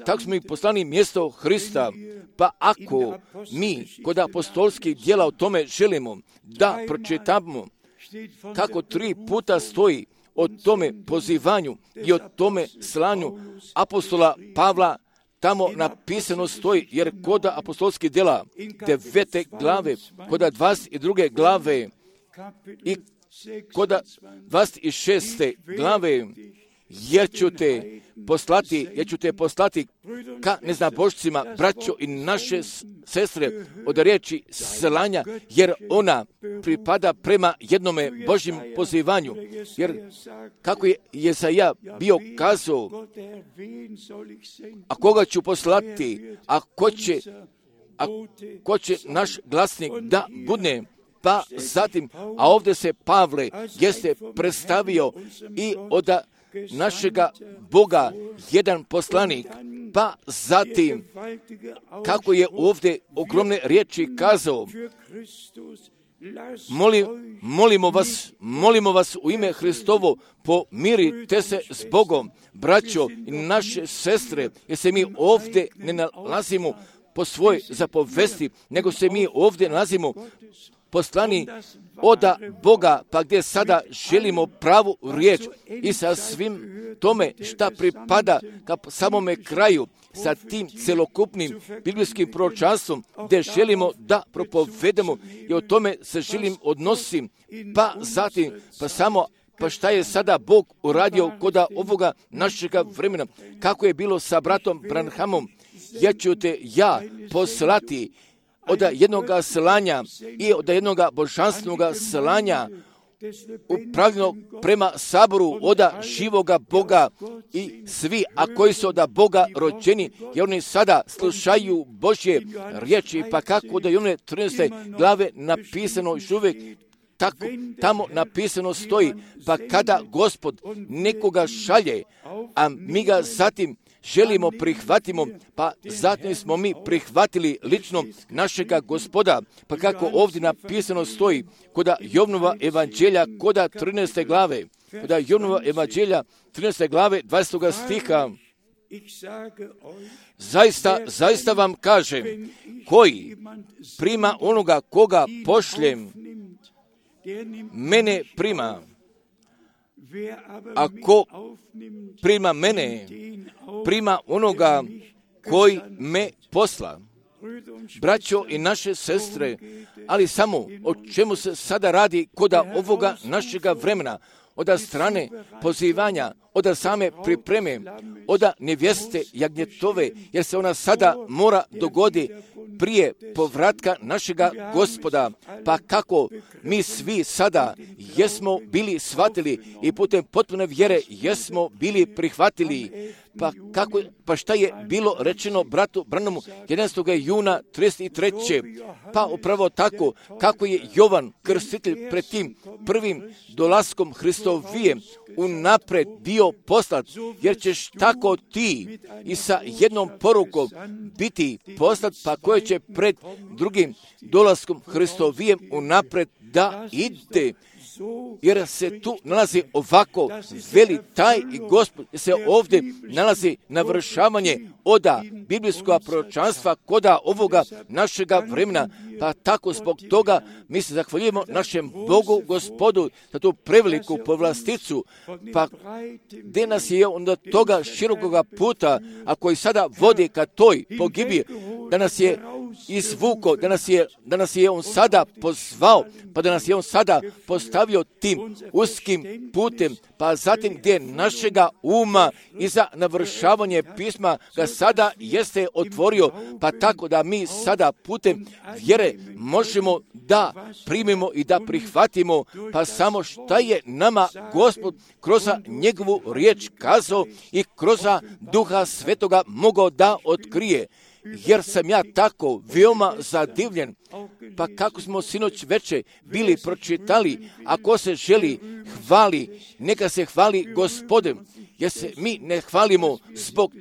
tako smo mi poslani mjesto Hrista, pa ako mi kod apostolskih djela o tome želimo da pročitamo kako tri puta stoji o tome pozivanju i o tome slanju apostola Pavla, tamo napisano stoji, jer kod apostolskih djela devete glave, kod dvadeset druge glave i kod dvadeset šeste glave, jer ću te poslati, jer ću te poslati ka neznabošcima, braćo i naše sestre, od riječi slanja, jer ona pripada prema jednome Božjem pozivanju. Jer kako je Jesaja bio kazao, a koga ću poslati, a ko će, a ko će naš glasnik da budne, pa zatim, a ovdje se Pavle jeste predstavio i od našega Boga jedan poslanik, pa zatim kako je ovdje ogromne riječi kazao, Molim, molimo vas, molimo vas u ime Hristovo, pomirite se s Bogom, braćo i naše sestre, jer se mi ovdje ne nalazimo po svoj zapovesti, nego se mi ovdje nalazimo poslani oda Boga, pa gdje sada želimo pravu riječ i sa svim tome šta pripada ka samome kraju, sa tim celokupnim biblijskim proročanstvom, gdje želimo da propovedemo i o tome se želim odnosim, pa zatim, pa samo, pa šta je sada Bog uradio kod ovoga našega vremena, kako je bilo sa bratom Branhamom, ja ću te ja poslati od jednoga slanja i od jednoga božanstvenog slanja upravljeno prema saboru od živoga Boga i svi, a koji su od Boga rođeni, jer oni sada slušaju Božje riječi, pa kako da je one trinaeste glave napisano još uvijek tako tamo napisano stoji, pa kada Gospod nekoga šalje, a mi ga zatim želimo prihvatimo, pa zatim smo mi prihvatili lično našega Gospoda, pa kako ovdje napisano stoji, koda Jovnova evanđelja, koda trinaeste glave, koda Jovnova evanđelja, trinaeste glave, dvadesetog stiha, zaista, zaista vam kažem, koji prima onoga koga pošljem, mene prima. Ako prima mene, prima onoga koji me posla. Braćo i naše sestre, ali samo o čemu se sada radi koda ovoga našega vremena, od strane pozivanja, od same pripreme, od nevjeste jagnjetove, jer se ona sada mora dogodi prije povratka našega Gospoda. Pa kako mi svi sada jesmo bili shvatili i putem potpune vjere jesmo bili prihvatili. Pa, kako, pa šta je bilo rečeno bratu Branamu jedanaestog juna trideset treće Pa upravo tako kako je Jovan Krstitelj pred tim prvim dolaskom Hristovijem unapred bio poslat, jer ćeš tako ti i sa jednom porukom biti poslat, pa koje će pred drugim dolaskom Hristovijem unapred da ide. Jer se tu nalazi ovako veli taj i Gospod, jer se ovdje nalazi navršavanje oda biblijskog proročanstva koda ovoga našega vremena. Pa tako zbog toga mi se zahvaljujemo našem Bogu Gospodu za tu preveliku povlasticu. Pa gdje nas je onda toga širokoga puta, a koji sada vodi ka toj pogibiji, da nas je izvuko, da nas je, da nas je on sada pozvao, pa da nas je on sada postavio tim uskim putem, pa zatim gdje našega uma i za navršavanje pisma ga sada jeste otvorio, pa tako da mi sada putem vjere možemo da primimo i da prihvatimo, pa samo šta je nama Gospod kroz njegovu riječ kazao i kroz Duha Svetoga mogao da otkrije. Jer sam ja tako veoma zadivljen, pa kako smo sinoć veče bili pročitali, ako se želi hvali, neka se hvali Gospodem, jer se mi ne hvalimo zbog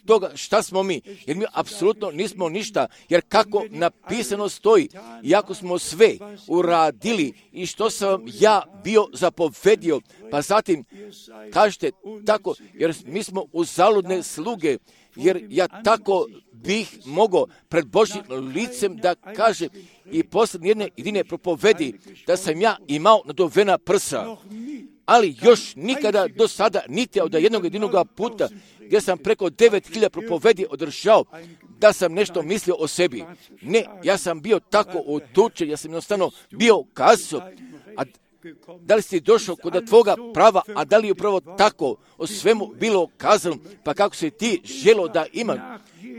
toga šta smo mi, jer mi apsolutno nismo ništa, jer kako napisano stoji, iako smo sve uradili i što sam ja bio zapovedio, pa zatim kažete tako, jer mi smo uzaludne sluge, jer ja tako bih mogao pred Božjim licem da kažem i posljednje jedne jedine propovedi da sam ja imao naduvena prsa, ali još nikada do sada niti od jednog jedinog puta gdje sam preko devet hiljada propovedi održao da sam nešto mislio o sebi. Ne, ja sam bio tako otučen, ja sam jednostavno bio kazao, a da li si došao kod tvoga prava, a da li je upravo tako o svemu bilo kazano, pa kako si ti želo da imam.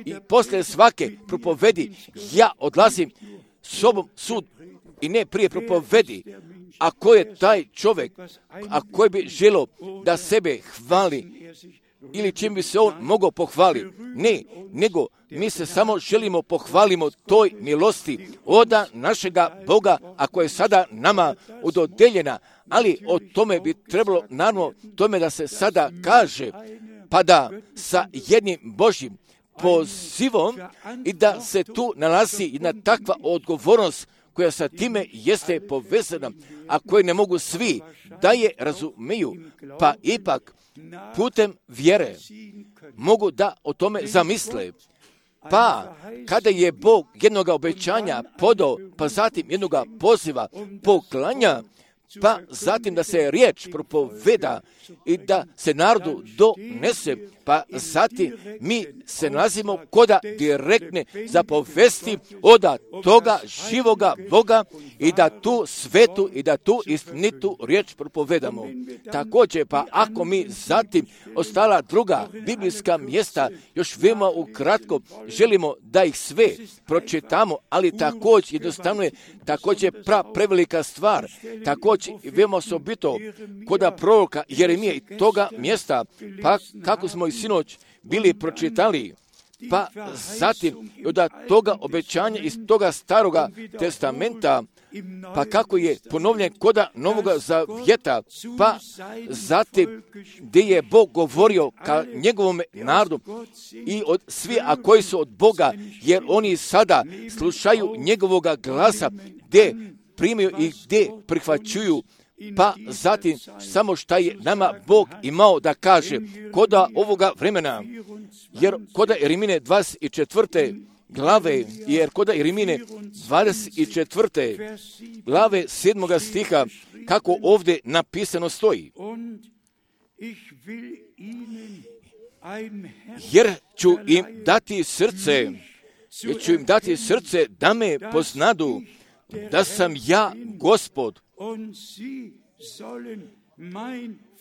I poslije svake propovedi ja odlazim sobom sud i ne prije propovedi. A ko je taj čovjek, a koji bi želo da sebe hvali ili čim bi se on mogao pohvaliti? Ne, nego mi se samo želimo pohvalimo toj milosti oda našega Boga, a koja je sada nama udodeljena, ali o tome bi trebalo naravno tome da se sada kaže, pa da sa jednim Božjim pozivom i da se tu nalazi jedna takva odgovornost koja sa time jeste povezana, a koje ne mogu svi da je razumiju, pa ipak putem vjere mogu da o tome zamisle. Pa kada je Bog jednog obećanja podao, pa zatim jednog poziva poklanja, pa zatim da se riječ propoveda i da se narodu donese, pa zatim mi se nalazimo koda direktne zapovesti oda toga živoga Boga i da tu svetu i da tu istinitu riječ propovedamo. Također, pa ako mi zatim ostala druga biblijska mjesta, još veoma ukratko želimo da ih sve pročitamo, ali također jednostavno je također pra prevelika stvar, također veoma osobito koda proroka Jeremije i toga mjesta, pa kako smo i sinoć bili pročitali, Pa zatim od toga obećanja iz toga staroga testamenta, pa kako je ponovljen koda Novoga Zavjeta, pa zatim gdje je Bog govorio ka njegovom narodu i od svi, a koji su od Boga, jer oni sada slušaju njegovoga glasa, gdje primaju i gdje prihvaćuju, pa zatim samo šta je nama Bog imao da kaže koda ovoga vremena, jer koda Jeremije dvadeset četvrte glave, jer koda Jeremije dvadeset četvrte glave sedmoga stiha, kako ovdje napisano stoji. Jer ću im dati srce, jer ću im dati srce da me poznadu, da sam ja Gospod,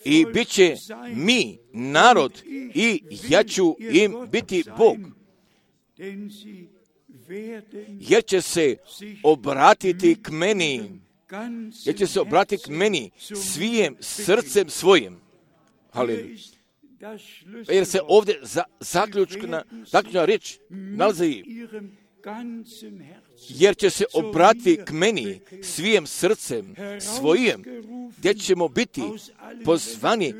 i bit će mi narod i ja ću im biti Bog, jer će se obratiti k meni, jer će se obratiti k meni svijem srcem svojim. Halleluja. Jer se ovdje za, zaključna, zaključna riječ nalazi, jer će se obratiti k meni svijem srcem svojim, gdje ćemo biti pozvani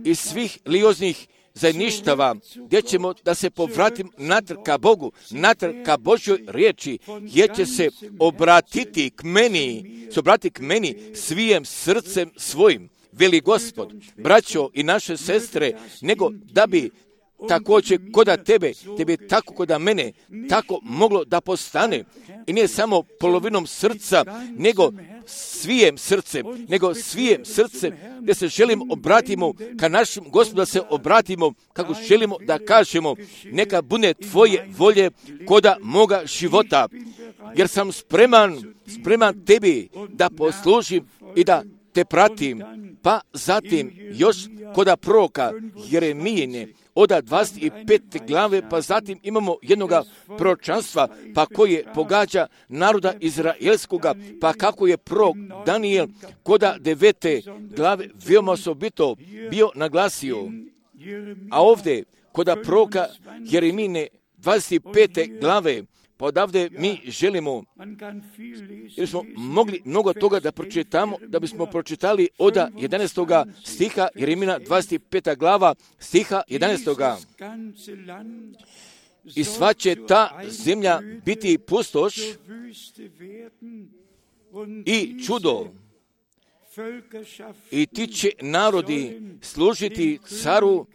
iz svih religioznih zajedništava, gdje ćemo da se povratim natrag ka Bogu, natrag ka Božjoj riječi, jer će se obratiti k meni, se obratiti k meni svijem srcem svojim, veli Gospod. Braćo i naše sestre, nego da bi također koda tebe, tebe tako koda mene, tako moglo da postane. I nije samo polovinom srca, nego svijem srcem, nego svijem srcem, gdje se želimo obratimo ka našem Gospodu, da se obratimo kako želimo da kažemo, neka bude tvoje volje koda moga života, jer sam spreman, spreman tebi da poslužim i da te pratim. Pa zatim još koda proroka Jeremijine, oda dvadeset pete glave, pa zatim imamo jednoga proročanstva, pa koje pogađa naroda izraelskoga, pa kako je prorok Danijel koda devete glave veoma osobito bio naglasio. A ovdje koda proroka Jeremijine dvadeset pete glave, pa odavde mi želimo, jer smo mogli mnogo toga da pročitamo, da bismo pročitali od jedanaestoga stiha, Jeremija dvadeset peta glava, stiha jedanaestoga. I sva će ta zemlja biti pustoš i čudo, i ti će narodi služiti caru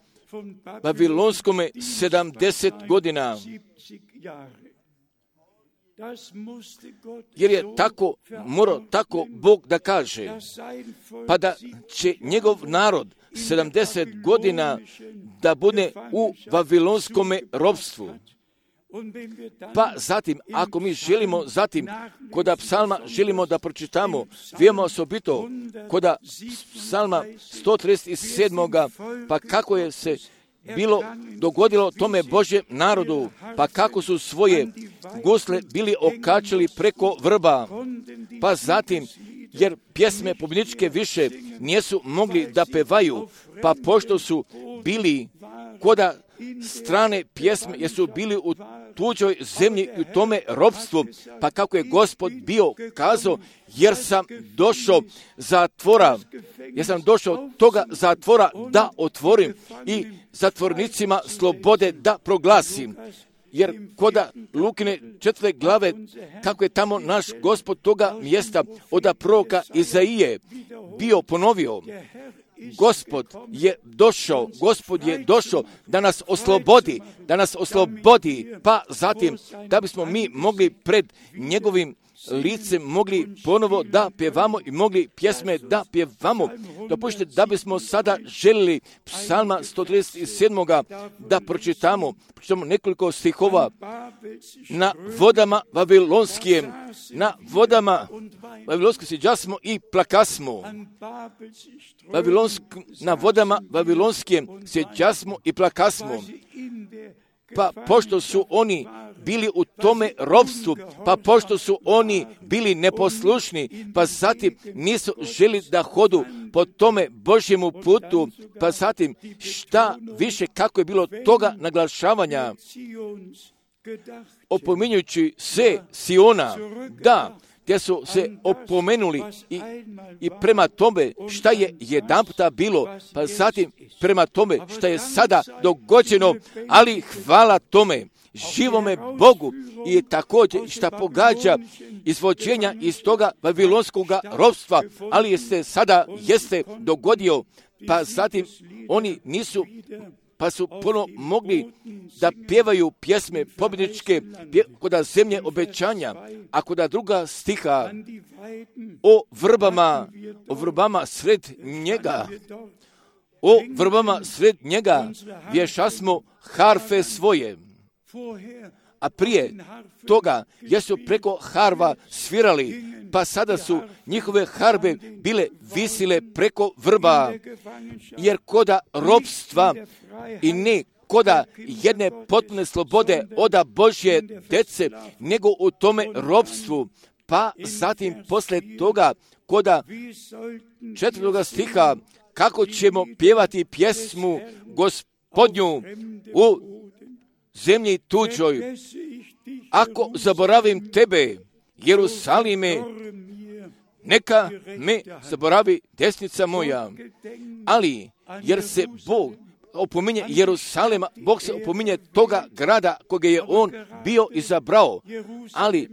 Babilonskome sedamdeset godina. Jer je tako, morao tako Bog da kaže, pa da će njegov narod sedamdeset godina da bude u Vavilonskome ropstvu. Pa zatim, ako mi želimo, zatim, koda psalma želimo da pročitamo, veoma osobito, koda psalma sto trideset sedam. Pa kako je se bilo dogodilo tome Božjem narodu, pa kako su svoje gusle bili okačili preko vrba, pa zatim, jer pjesme pobjedničke više nisu mogli da pevaju, pa pošto su bili koda strane pjesme, jer su bili u tuđoj zemlji i u tome ropstvu, pa kako je Gospod bio kazao, jer sam došao zatvora, jer sam došao toga zatvora da otvorim i zatvornicima slobode da proglasim. Jer koda Lukine četvrte glave, kako je tamo naš Gospod toga mjesta od proroka Izaije bio ponovio, Gospod je došao, Gospod je došao da nas oslobodi, da nas oslobodi, pa zatim da bismo mi mogli pred njegovim licem mogli ponovo da pjevamo i mogli pjesme da pjevamo. Dopustite da bismo sada željeli psalma sto trideset sedam. da pročitamo, pročitamo nekoliko stihova. Na vodama Vavilonskim, na vodama Vavilonskim siđasmo i plakasmo. Vavilonsk, na vodama Vavilonskim siđasmo i plakasmo. pa pošto su oni bili u tome ropstvu, pa pošto su oni bili neposlušni, pa zatim nisu želi da hodu po tome Božjemu putu, pa zatim šta više kako je bilo toga naglašavanja, opominjući se Siona, da, gdje su se opomenuli i, i prema tome šta je jedanputa bilo, pa zatim prema tome šta je sada dogođeno, ali hvala tome, živome Bogu i također šta pogađa izvođenja iz toga babilonskog ropstva, ali jeste sada jeste dogodio, pa zatim oni nisu, pa su puno mogli da pjevaju pjesme pobjedničke kod zemlje obećanja, a kod druga stiha o vrbama, o vrbama sred njega, o vrbama sred njega vješasmo harfe svoje. A prije toga jesu preko harva svirali, pa sada su njihove harbe bile visile preko vrba, jer koda ropstva i ne koda jedne potpune slobode oda Božje dece, nego u tome ropstvu, pa zatim posle toga koda četvrtoga stiha, kako ćemo pjevati pjesmu Gospodnju u zemlji tuđoj, ako zaboravim tebe, Jerusalime, neka me zaboravi desnica moja. Ali, jer se Bog opominje Jerusalema, Bog se opominje toga grada koga je on bio izabrao. Ali,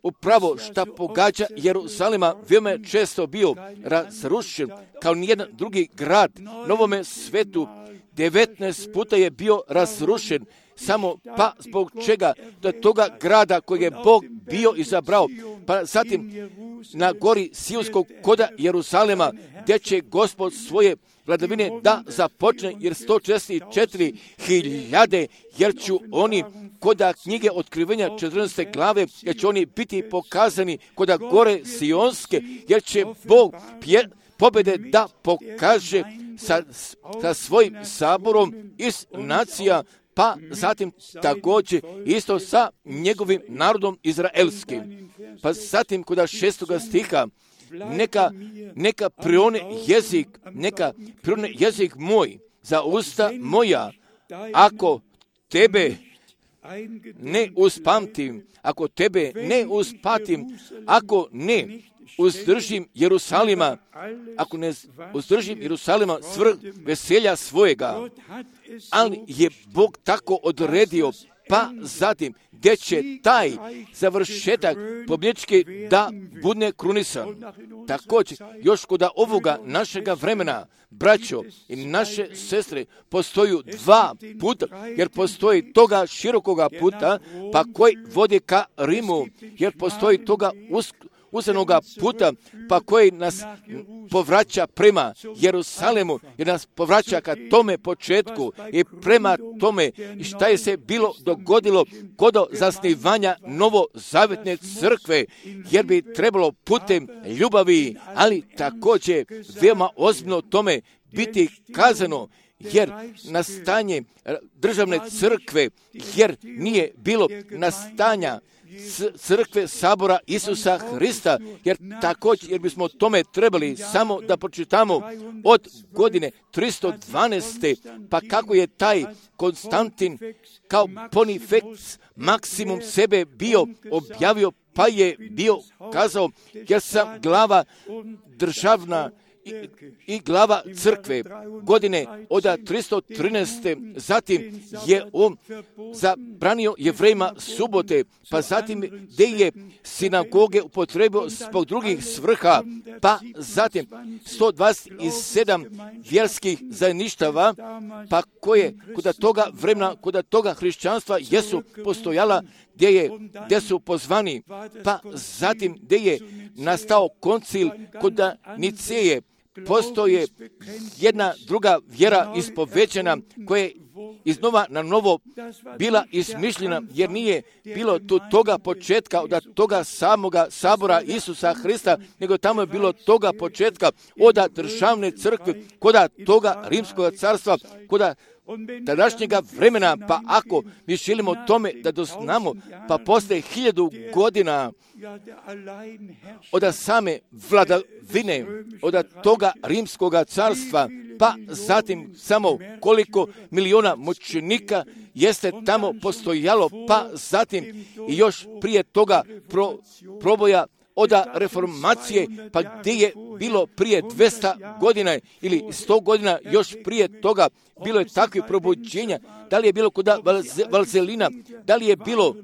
upravo šta pogađa Jerusalema veoma često bio razrušen kao nijedan drugi grad na ovome svetu. devetnaest puta je bio razrušen, samo pa zbog čega do toga grada kojeg je Bog bio izabrao, pa zatim na gori Sionskog koda Jerusalema, gdje će Gospod svoje vladavine da započne, jer sto četrdeset četiri hiljade, jer ću oni koda knjige otkrivenja četrnaeste glave, jer će oni biti pokazani koda gore Sionske, jer će Bog pje, pobjede da pokaže sa, sa svojim saborom iz nacija, pa zatim također isto sa njegovim narodom izraelskim. Pa zatim kod šestoga stiha, neka, neka prione jezik, neka prione jezik moj za usta moja, ako tebe ne uspamtim, ako tebe ne uspatim, ako ne uzdržim Jerusalima, ako ne uzdržim Jerusalima svrh veselja svojega, ali je Bog tako odredio, pa zatim gdje će taj završetak pobjednički da bude krunisan. Također, još kod ovoga našega vremena, braćo i naše sestre, postoju dva puta, jer postoji toga širokoga puta, pa koji vodi ka Rimu, jer postoji toga uskog uzenoga puta, pa koji nas povraća prema Jerusalemu, jer nas povraća ka tome početku i prema tome šta je se bilo dogodilo kod zasnivanja novozavetne crkve, jer bi trebalo putem ljubavi, ali također veoma ozbiljno tome biti kazano, jer nastanje državne crkve, jer nije bilo nastanja crkve sabora Isusa Hrista, jer također, jer bismo tome trebali samo da pročitamo od godine tristo dvanaeste, pa kako je taj Konstantin kao Pontifex maksimum sebe bio objavio, pa je bio kazao, jer sam glava državna I, i glava crkve godine od tristo trinaeste. Zatim je on zabranio Jevrejima subote, pa zatim gdje je sinagoge upotrebio zbog drugih svrha, pa zatim sto dvadeset sedam vjerskih zajedništava, pa koje kod toga vremena, kod toga hrišćanstva jesu postojala, gdje, je, gdje su pozvani, pa zatim gdje je nastao koncil kod Niceje, postoje jedna druga vjera ispovećena koja je iznova na novo bila izmišljena, jer nije bilo tu toga početka od toga samoga sabora Isusa Hrista, nego tamo je bilo toga početka od državne crkve, koda toga rimskog carstva, koda tadašnjega vremena. Pa ako mi želimo tome da doznamo, pa posle hiljadu godina od same vladavine, od toga rimskog carstva, pa zatim samo koliko miliona mučenika jeste tamo postojalo, pa zatim i još prije toga pro, proboja od reformacije, pa gdje je bilo prije dvjesto godina ili sto godina još prije toga, bilo je takve probuđenja. Da li je bilo kod Valzelina, da li je bilo,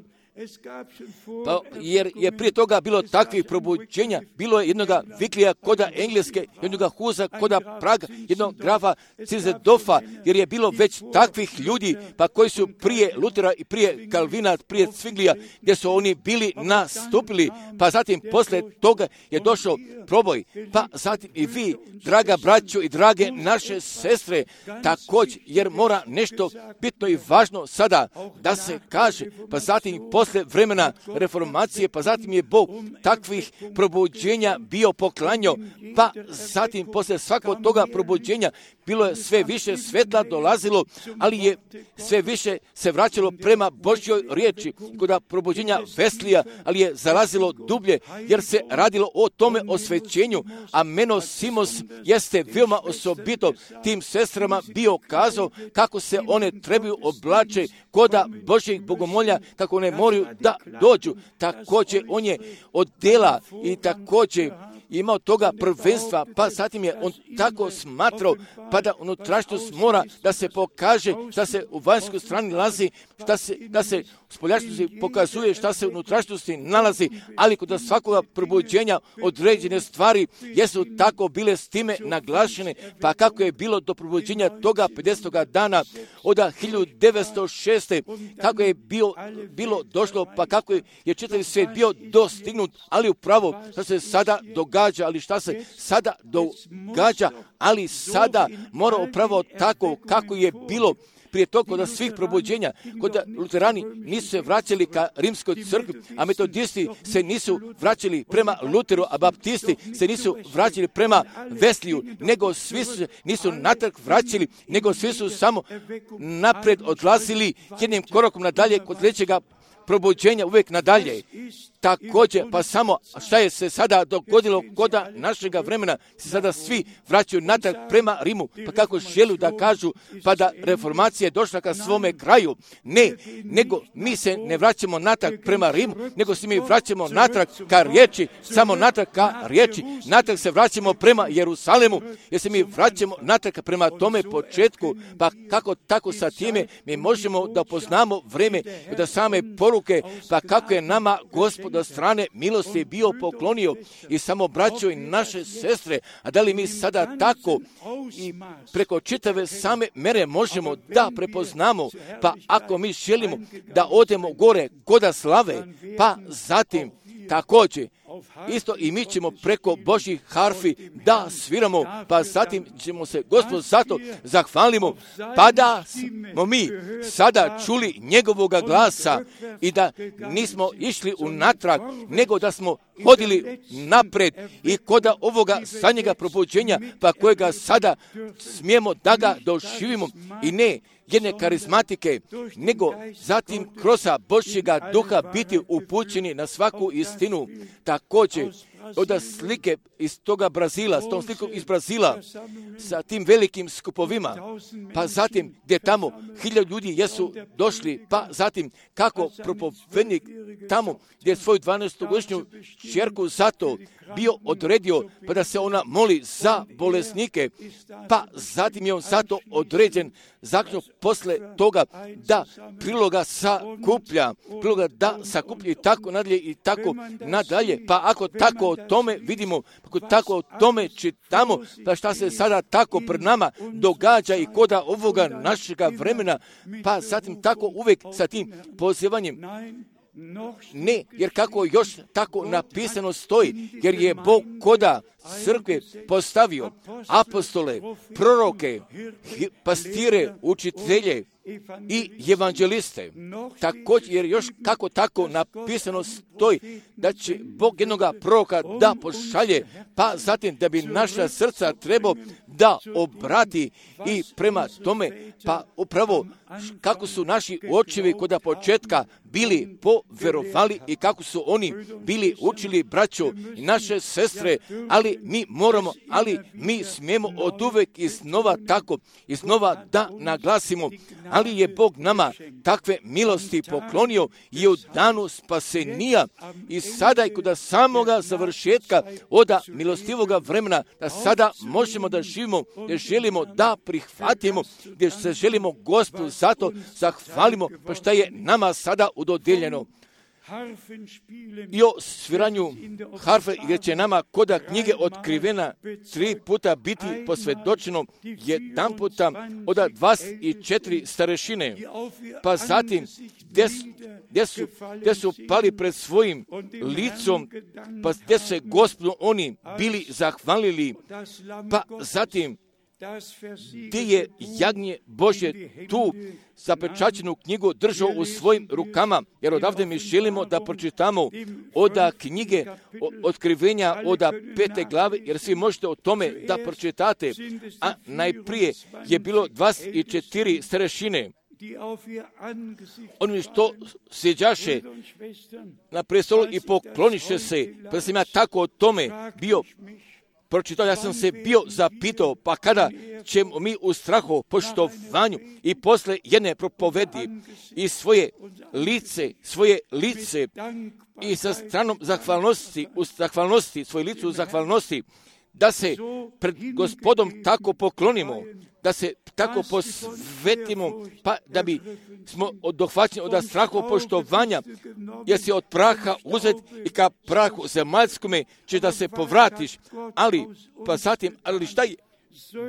pa, jer je prije toga bilo takvih probuđenja, bilo je jednoga Viklija koda Engleske, jednoga Huza koda Praga, jednog grafa Cizedofa, jer je bilo već takvih ljudi, pa koji su prije Lutera i prije Kalvina, prije Cviglija, gdje su oni bili nastupili, pa zatim posle toga je došao proboj, pa zatim i vi, draga braćo i drage naše sestre, također, jer mora nešto bitno i važno sada da se kaže, pa zatim posle vremena reformacije, pa zatim je Bog takvih probuđenja bio poklanjao, pa zatim posle svakog toga probuđenja bilo je sve više svetla dolazilo, ali je sve više se vraćalo prema Božjoj riječi. Kod probuđenja Veslija, ali je zalazilo dublje, jer se radilo o tome osvećenju, a Meno Simos jeste veoma osobito tim sestrama bio kazao kako se one trebaju oblače koda Božjih bogomolja, kako one moraju da dođu. Također on je od dela i također imao toga prvenstva, pa zatim je on tako smatrao, pa da unutrašnjost mora da se pokaže, šta se u vanjskoj strani nalazi, šta se, da se u spoljašnjosti pokazuje šta se u unutrašnjosti nalazi, ali kod svakoga probuđenja određene stvari jesu tako bile s time naglašene, pa kako je bilo do probuđenja toga pedesetoga dana od hiljadu devetsto šeste. kako je bio, bilo došlo, pa kako je, je čitavi svijet bio dostignut, ali upravo što se sada događa, ali šta se sada događa, ali sada mora upravo tako kako je bilo prije toga kod svih probuđenja, kod luterani nisu se vraćali ka rimskoj crkvi, a metodisti se nisu vraćali prema Luteru, a baptisti se nisu vraćali prema Vesliju, nego svi se nisu natrag vraćali, nego svi su samo napred odlazili jednim korakom nadalje kod sljedećega probuđenja, uvijek nadalje. Također, pa samo šta je se sada dogodilo kod našega vremena, se sada svi vraćaju natrag prema Rimu, pa kako želu da kažu, pa da reformacija je došla ka svome kraju. Ne, nego mi se ne vraćamo natrag prema Rimu, nego se mi vraćamo natrag ka riječi, samo natrag ka riječi, natrag se vraćamo prema Jerusalemu, jer se mi vraćamo natrag prema tome početku, pa kako tako sa time mi možemo da poznamo vreme da same poruke, pa kako je nama Gospod od strane milosti bio poklonio i samo braćo i naše sestre, a da li mi sada tako i preko čitave same mere možemo da prepoznamo, pa ako mi želimo da odemo gore koda slave, pa zatim također isto i mi ćemo preko Božjih harfi da sviramo, pa zatim ćemo se Gospod zato zahvalimo, pa da smo mi sada čuli njegovoga glasa i da nismo išli unatrag, nego da smo hodili napred i koda ovoga zadnjega probuđenja, pa kojega sada smijemo da ga doživimo i ne jedne karizmatike, nego zatim kroz Božjega duha biti upućeni na svaku istinu. Također, od slike iz toga Brazila, s tom slikom iz Brazila, sa tim velikim skupovima, pa zatim gdje tamo hiljadu ljudi jesu došli, pa zatim kako propovednik tamo gdje je svoju dvanaestogodišnju kćerku zato bio odredio, pa da se ona moli za bolesnike, pa zatim je on zato određen zaključno posle toga da priloga sakuplja, priloga da sakuplja i tako nadalje i tako nadalje, pa ako tako o tome vidimo, ako tako o tome čitamo, pa šta se sada tako pred nama događa i koda ovoga našega vremena, pa zatim tako uvijek sa tim pozivanjem. Ne, jer kako još tako napisano stoji, jer je Bog koda crkve postavio apostole, proroke, pastire, učitelje i evanđeliste. Također, jer još kako tako napisano stoji da će Bog jednoga proroka da pošalje, pa zatim da bi naša srca trebao da obrati i prema tome, pa upravo kako su naši očevi kod početka bili poverovali i kako su oni bili učili braćo i naše sestre, ali mi moramo, ali mi smijemo od uvek iznova tako, iznova da naglasimo, ali je Bog nama takve milosti poklonio i u danu spasenija i sada i kod samoga završetka oda milostivoga vremena, da sada možemo da živimo, gdje želimo da prihvatimo, gdje se želimo Gospodu zato zahvalimo, pa šta je nama sada udodijeljeno. I o sviranju harfe, gdje će nama koda knjige otkrivena tri puta biti posvjedočeno, jedan puta od dvadeset četiri starešine, pa zatim gdje, gdje, su, gdje su pali pred svojim licom, pa gdje se Gospodu oni bili zahvalili, pa zatim gdje je jagnje Božje tu zapečaćenu knjigu držao u svojim rukama, jer odavde mi želimo da pročitamo oda knjige otkrivenja oda pete glave, jer svi možete o tome da pročitate, a najprije je bilo dvadeset četiri starešine. Oni što sjeđaše na prestolu i pokloniše se, pa sam ja tako o tome bio pročitao, ja sam se bio zapitao, pa kada ćemo mi u strahu, poštovanju i posle jedne propovedi i svoje lice, svoje lice i sa stranom zahvalnosti, u zahvalnosti, svoje lice u zahvalnosti, da se pred Gospodom tako poklonimo, da se tako posvetimo, pa da bi smo dohvaćeni od strahu poštovanja, jer si od praha uzet i ka prahu zemaljskome će da se povratiš, ali pa zatim, ali šta je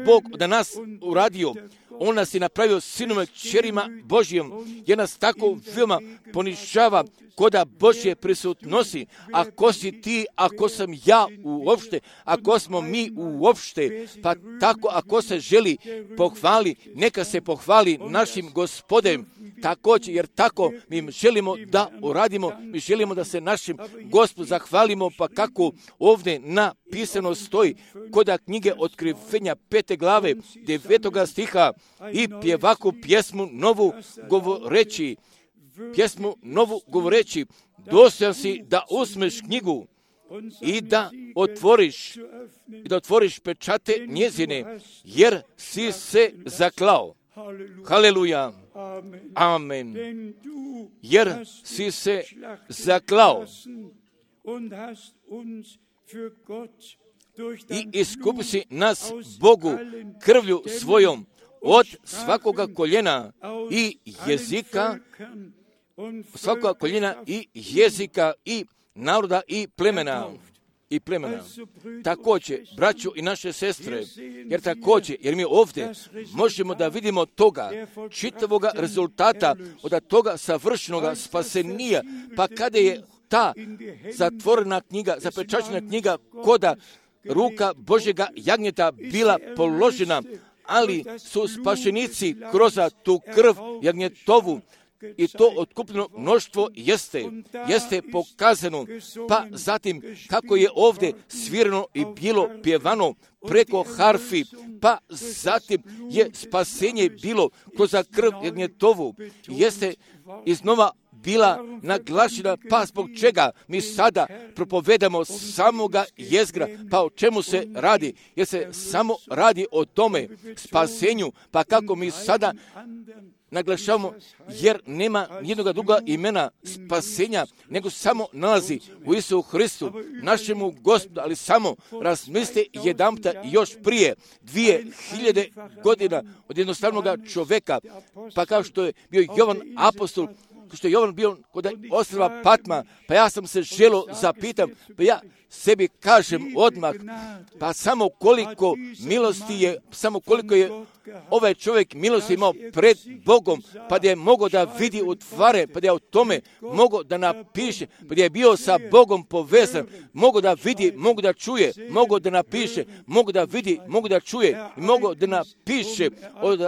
Bog da nas uradio? On nas je napravio sinome kćerima Božijom, jer nas tako veoma ponižava koda Božje prisutnosti. Ako si ti, ako sam ja uopšte, ako smo mi uopšte, pa tako ako se želi pohvali, neka se pohvali našim Gospodem, također, jer tako mi želimo da uradimo, mi želimo da se našim Gospodu zahvalimo, pa kako ovdje napisano stoji koda knjige otkrivenja pete glave, devetoga stiha, i pjevaku pjesmu novu govoreći, pjesmu novu govoreći, dostojan si da uzmeš knjigu i da otvoriš, i da otvoriš pečate njezine, jer si se zaklao. Haleluja. Amen. Jer si se zaklao i iskupi si nas Bogu krvlju svojom od svakoga koljena i jezika, svakoga koljena i jezika i naroda i plemena. I plemena. Također, braćo i naše sestre, jer također, jer mi ovdje možemo da vidimo toga, čitavoga rezultata od toga savršenoga spasenija, pa kada je ta zatvorena knjiga, zapečaćena knjiga koda ruka Božjega jagnjeta bila položena, ali su spašenici kroz tu krv jagnjetovu i to otkupljeno mnoštvo jeste, jeste pokazano, pa zatim kako je ovdje svirano i bilo pjevano preko harfi, pa zatim je spasenje bilo kroz krv jagnjetovu, jeste iznova bila naglašena, pa zbog čega mi sada propovedamo samoga jezgra, pa o čemu se radi, jer se samo radi o tome spasenju, pa kako mi sada naglašavamo, jer nema nijednog druga imena spasenja, nego samo nalazi u Isusu Hristu, našemu Gospodu, ali samo razmislite jedanputa još prije dvije hiljade godina od jednostavnog čoveka, pa kao što je bio Jovan apostol, što je Jovan bio kod ostrva Patma, pa ja sam se želo zapitam, pa ja sebi kažem odmah, pa samo koliko milosti je, samo koliko je ovaj čovjek milosti imao pred Bogom, pa da je mogao da vidi u tvare, pa da je o tome mogao da napiše, pa da je bio sa Bogom povezan, mogao da vidi, mogao da čuje, mogao da napiše, mogao da vidi, mogao da čuje i mogao da napiše od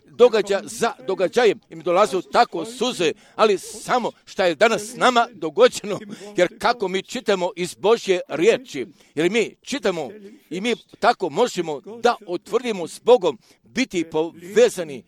događa za događajem im dolaze tako suze, ali samo šta je danas s nama dogođeno, jer kako mi čitamo iz Božje riječi, jer mi čitamo i mi tako možemo da utvrdimo s Bogom, biti povezani,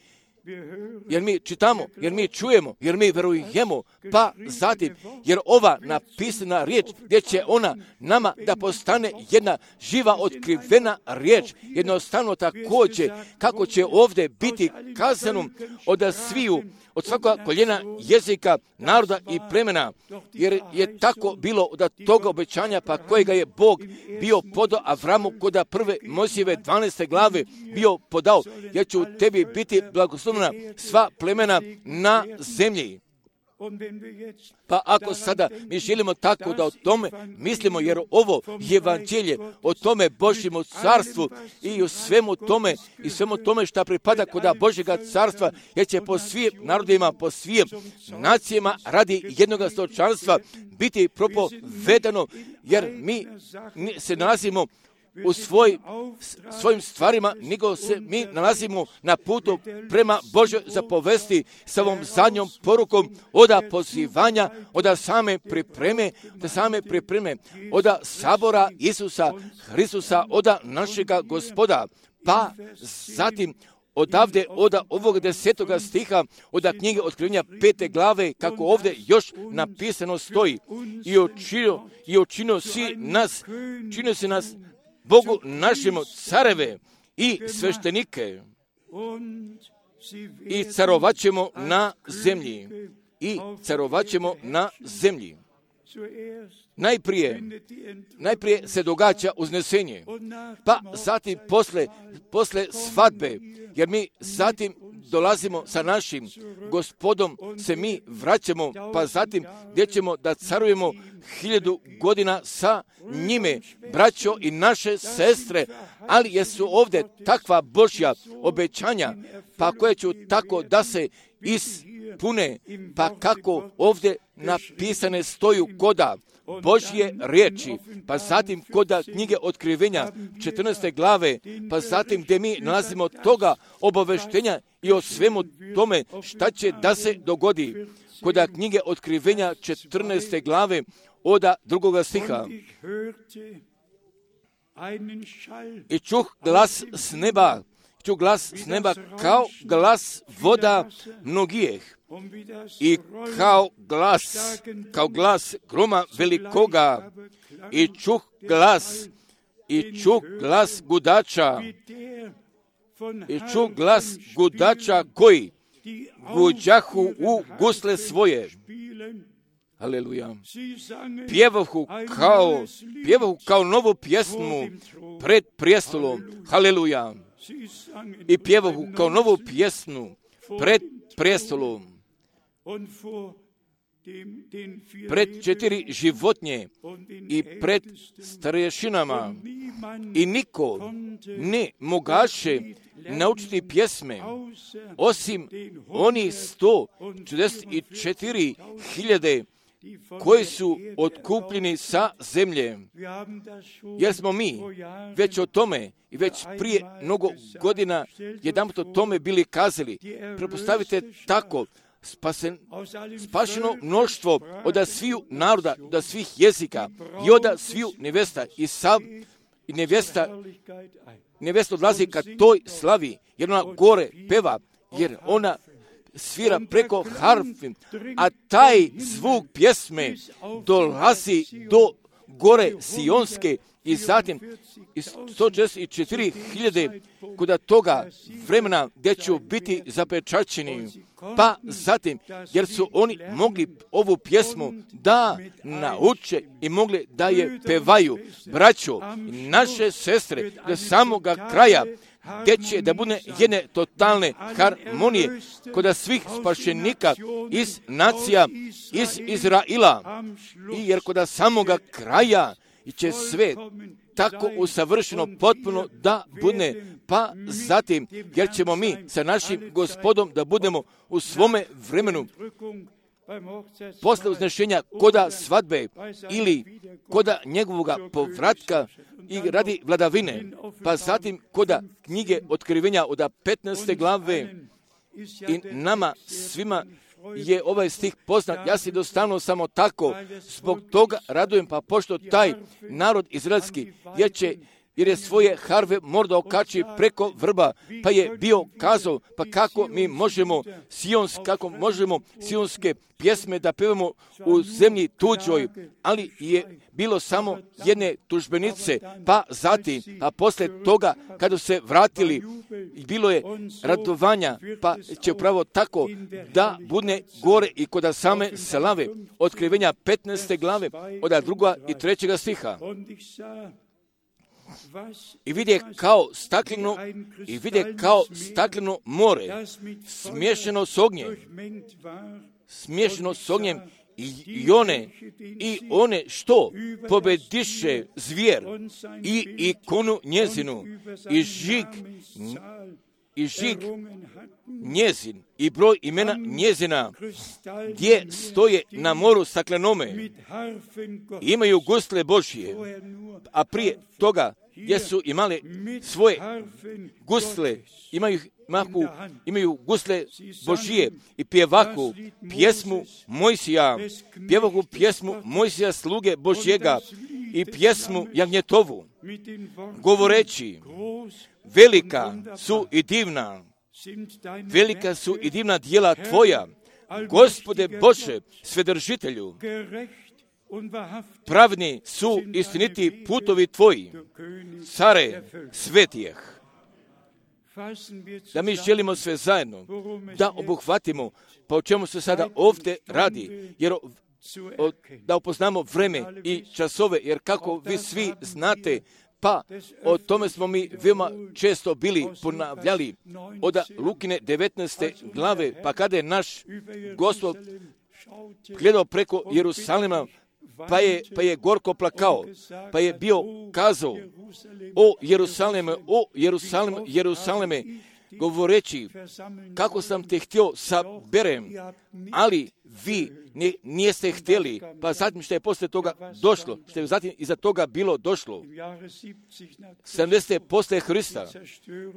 jer mi čitamo, jer mi čujemo, jer mi verujemo, pa zatim, jer ova napisana riječ, gdje će ona nama da postane jedna živa otkrivena riječ, jednostavno također, kako će ovdje biti kazano od sviju, od svakoga koljena jezika, naroda i plemena, jer je tako bilo od toga obećanja, pa kojega je Bog bio podao Avramu kod prve Mojsijeve dvanaeste glave bio podao, jer će u tebi biti blagoslovljena sva plemena na zemlji. Pa ako sada mi želimo tako da o tome mislimo, jer ovo je evanđelje o tome Božjemu carstvu i o svemu tome i svemu tome što pripada kod Božjega carstva, jer će po svim narodima, po svim nacijama radi jednoga stočanstva biti propovedano, jer mi se nalazimo u svoj, svojim stvarima, nego se mi nalazimo na putu prema Božoj zapovesti sa ovom zadnjom porukom oda pozivanja, oda same pripreme, oda same pripreme, oda sabora Isusa Hristusa, oda našega Gospoda. Pa zatim odavde, oda ovog desetoga stiha, oda knjige Otkrivenja pete glave, kako ovdje još napisano stoji, i učinio, i učinio si nas, činio si nas Bogu našemu careve i sveštenike i carovaćemo na zemlji i carovaćemo na zemlji. Najprije, najprije se događa uznesenje, pa zatim posle, posle svadbe, jer mi zatim dolazimo sa našim Gospodom, se mi vraćamo, pa zatim gdje ćemo da carujemo hiljadu godina sa njime, braćo i naše sestre, ali jesu ovdje takva Božja obećanja, pa koje ću tako da se ispune, pa kako ovdje napisane stoju koda Božje riječi, pa zatim koda knjige Otkrivenja četrnaeste glave, pa zatim gdje mi nalazimo toga obaveštenja i o svemu tome šta će da se dogodi. Koda knjige Otkrivenja četrnaeste glave oda drugoga stiha. I čuh glas s neba, čuh glas s neba kao glas voda mnogijeh. I kao glas, kao glas groma velikoga, i čuh glas, i čuh glas gudača, i čuh glas gudača koji guđahu u gusle svoje. Aleluja. Pjevahu kao, pjevahu kao novu pjesmu pred prijestolom. Haleluja. I pjevahu kao novu pjesmu pred prijestolom. Pred četiri životinje i pred starješinama, i niko ne mogaše naučiti pjesme osim oni sto četrdeset četiri hiljade koji su otkupljeni sa zemlje. Jer smo mi već o tome i već prije mnogo godina jedanput o tome bili kazali. Prepostavite tako, Spasen, spašeno mnoštvo od sviju naroda, od svih jezika i od sviju nevesta i sav i nevesta, nevesta odlazi ka toj slavi, jer ona gore peva, jer ona svira preko harfi, a taj zvuk pjesme dolazi do gore Sionske i zatim sto četrdeset četiri hiljade kod toga vremena gdje ću biti zapečaćeni, pa zatim jer su oni mogli ovu pjesmu da nauče i mogli da je pevaju. Braćo, naše sestre, do samoga kraja, gdje će da bude jedne totalne harmonije kod svih spašenika iz nacija, iz Izraila, i jer kod samoga kraja će sve tako usavršeno potpuno da bude, pa zatim jer ćemo mi sa našim Gospodom da budemo u svome vremenu posle uznešenja koda svadbe ili koda njegovoga povratka i radi vladavine, pa zatim koda knjige Otkrivenja od petnaeste glave. I nama svima je ovaj stih poznat, ja si dostavno samo tako, zbog toga radujem, pa pošto taj narod izraelski, jer će jer je svoje harve morda okači preko vrba, pa je bio kazao, pa kako mi možemo sions, kako možemo sionske pjesme da pevamo u zemlji tuđoj, ali je bilo samo jedne tužbenice, pa zatim, a posle toga, kada se vratili, bilo je radovanja, pa će upravo tako da bude gore i kod same slave. Otkrivenja petnaeste glave, od druga i trećega stiha. I vide kao stakleno, i vide kao stakleno more, smješano s ognjem, smješano s ognjem, i, i one, i one što pobediše zvijer, i ikonu njezinu, i žig, i žig njezin, i broj imena njezina, gdje stoje na moru staklenome, imaju gusle Božje, a prije toga gdje su imali svoje gusle, imaju, mahu, imaju gusle Božije i pjevaku pjesmu Mojsija, pjevaku pjesmu Mojsija sluge Božjega i pjesmu Jagnjetovu, govoreći, velika su i divna, velika su i divna djela Tvoja, Gospode Bože, Svedržitelju, pravni su istiniti putovi Tvoji, care svetijeh. Da mi želimo sve zajedno da obuhvatimo, pa o čemu se sada ovdje radi, jer o, da upoznamo vreme i časove, jer kako vi svi znate, pa o tome smo mi veoma često bili ponavljali od Lukine devetnaeste glave, pa kada je naš Gospod gledao preko Jerusalima, pa je, pa je gorko plakao, pa je bio kazao, o Jerusaleme, o Jerusaleme, Jerusaleme, govoreći, kako sam te htio saberem, ali vi ne, nijeste htjeli, pa zatim što je posle toga došlo, što je zatim iza toga bilo došlo, sedamdesete posle Hrista,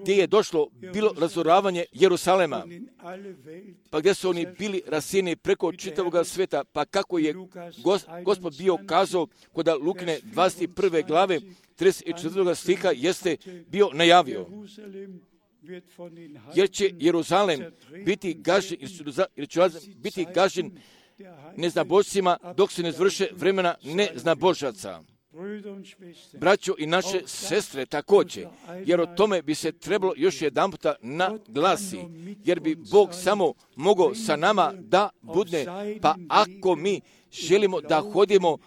gdje je došlo bilo razoravanje Jerusalema, pa gdje su oni bili rasijeni preko čitavoga sveta, pa kako je gos, Gospod bio kazao kod Lukine dvadeset prve glave, trideset četvrtog stiha, jeste bio najavio, jer će Jeruzalem biti gažen, jer će biti gažen neznabožcima dok se ne zvrše vremena neznabožaca. Braćo i naše sestre također, jer o tome bi se trebalo još jedan puta naglasi, jer bi Bog samo mogao sa nama da bude, pa ako mi želimo da hodimo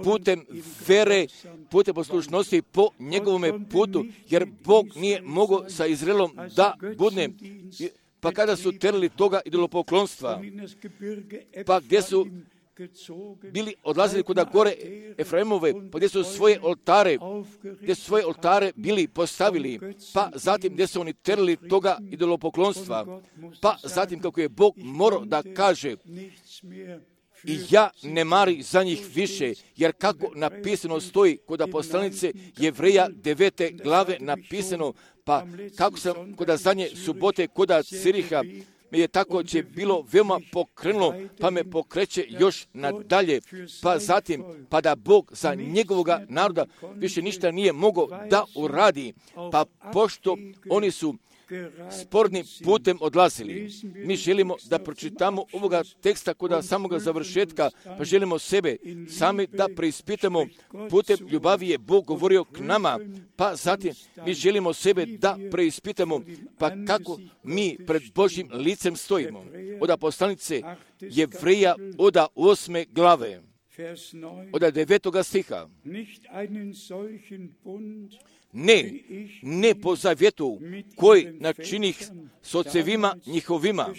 putem vere, putem poslušnosti po njegovome putu, jer Bog nije mogao sa Izraelom da bude, pa kada su terali toga idolopoklonstva, pa gdje su bili odlazili kuda gore Efraimove, pa gdje su svoje oltare, gdje su svoje oltare bili postavili, pa zatim gdje su oni terali toga idolopoklonstva, pa zatim kako je Bog morao da kaže, i ja ne mari za njih više, jer kako napisano stoji kod poslanice Jevreja devete glave napisano, pa kako sam kod zadnje subote kod Ciriha, me je tako će bilo veoma pokrenulo, pa me pokreće još nadalje, pa zatim, pa da Bog za njegovoga naroda više ništa nije mogao da uradi, pa pošto oni su spornim putem odlazili. Mi želimo da pročitamo ovoga teksta kod samoga završetka, pa želimo sebe sami da preispitamo. Putem ljubavi je Bog govorio k nama, pa zatim mi želimo sebe da preispitamo, pa kako mi pred Božjim licem stojimo. Od poslanice Jevreja od osme glave, od devetoga stiha. Ne, ne po zavjetu koji načinih s ocevima njihovima,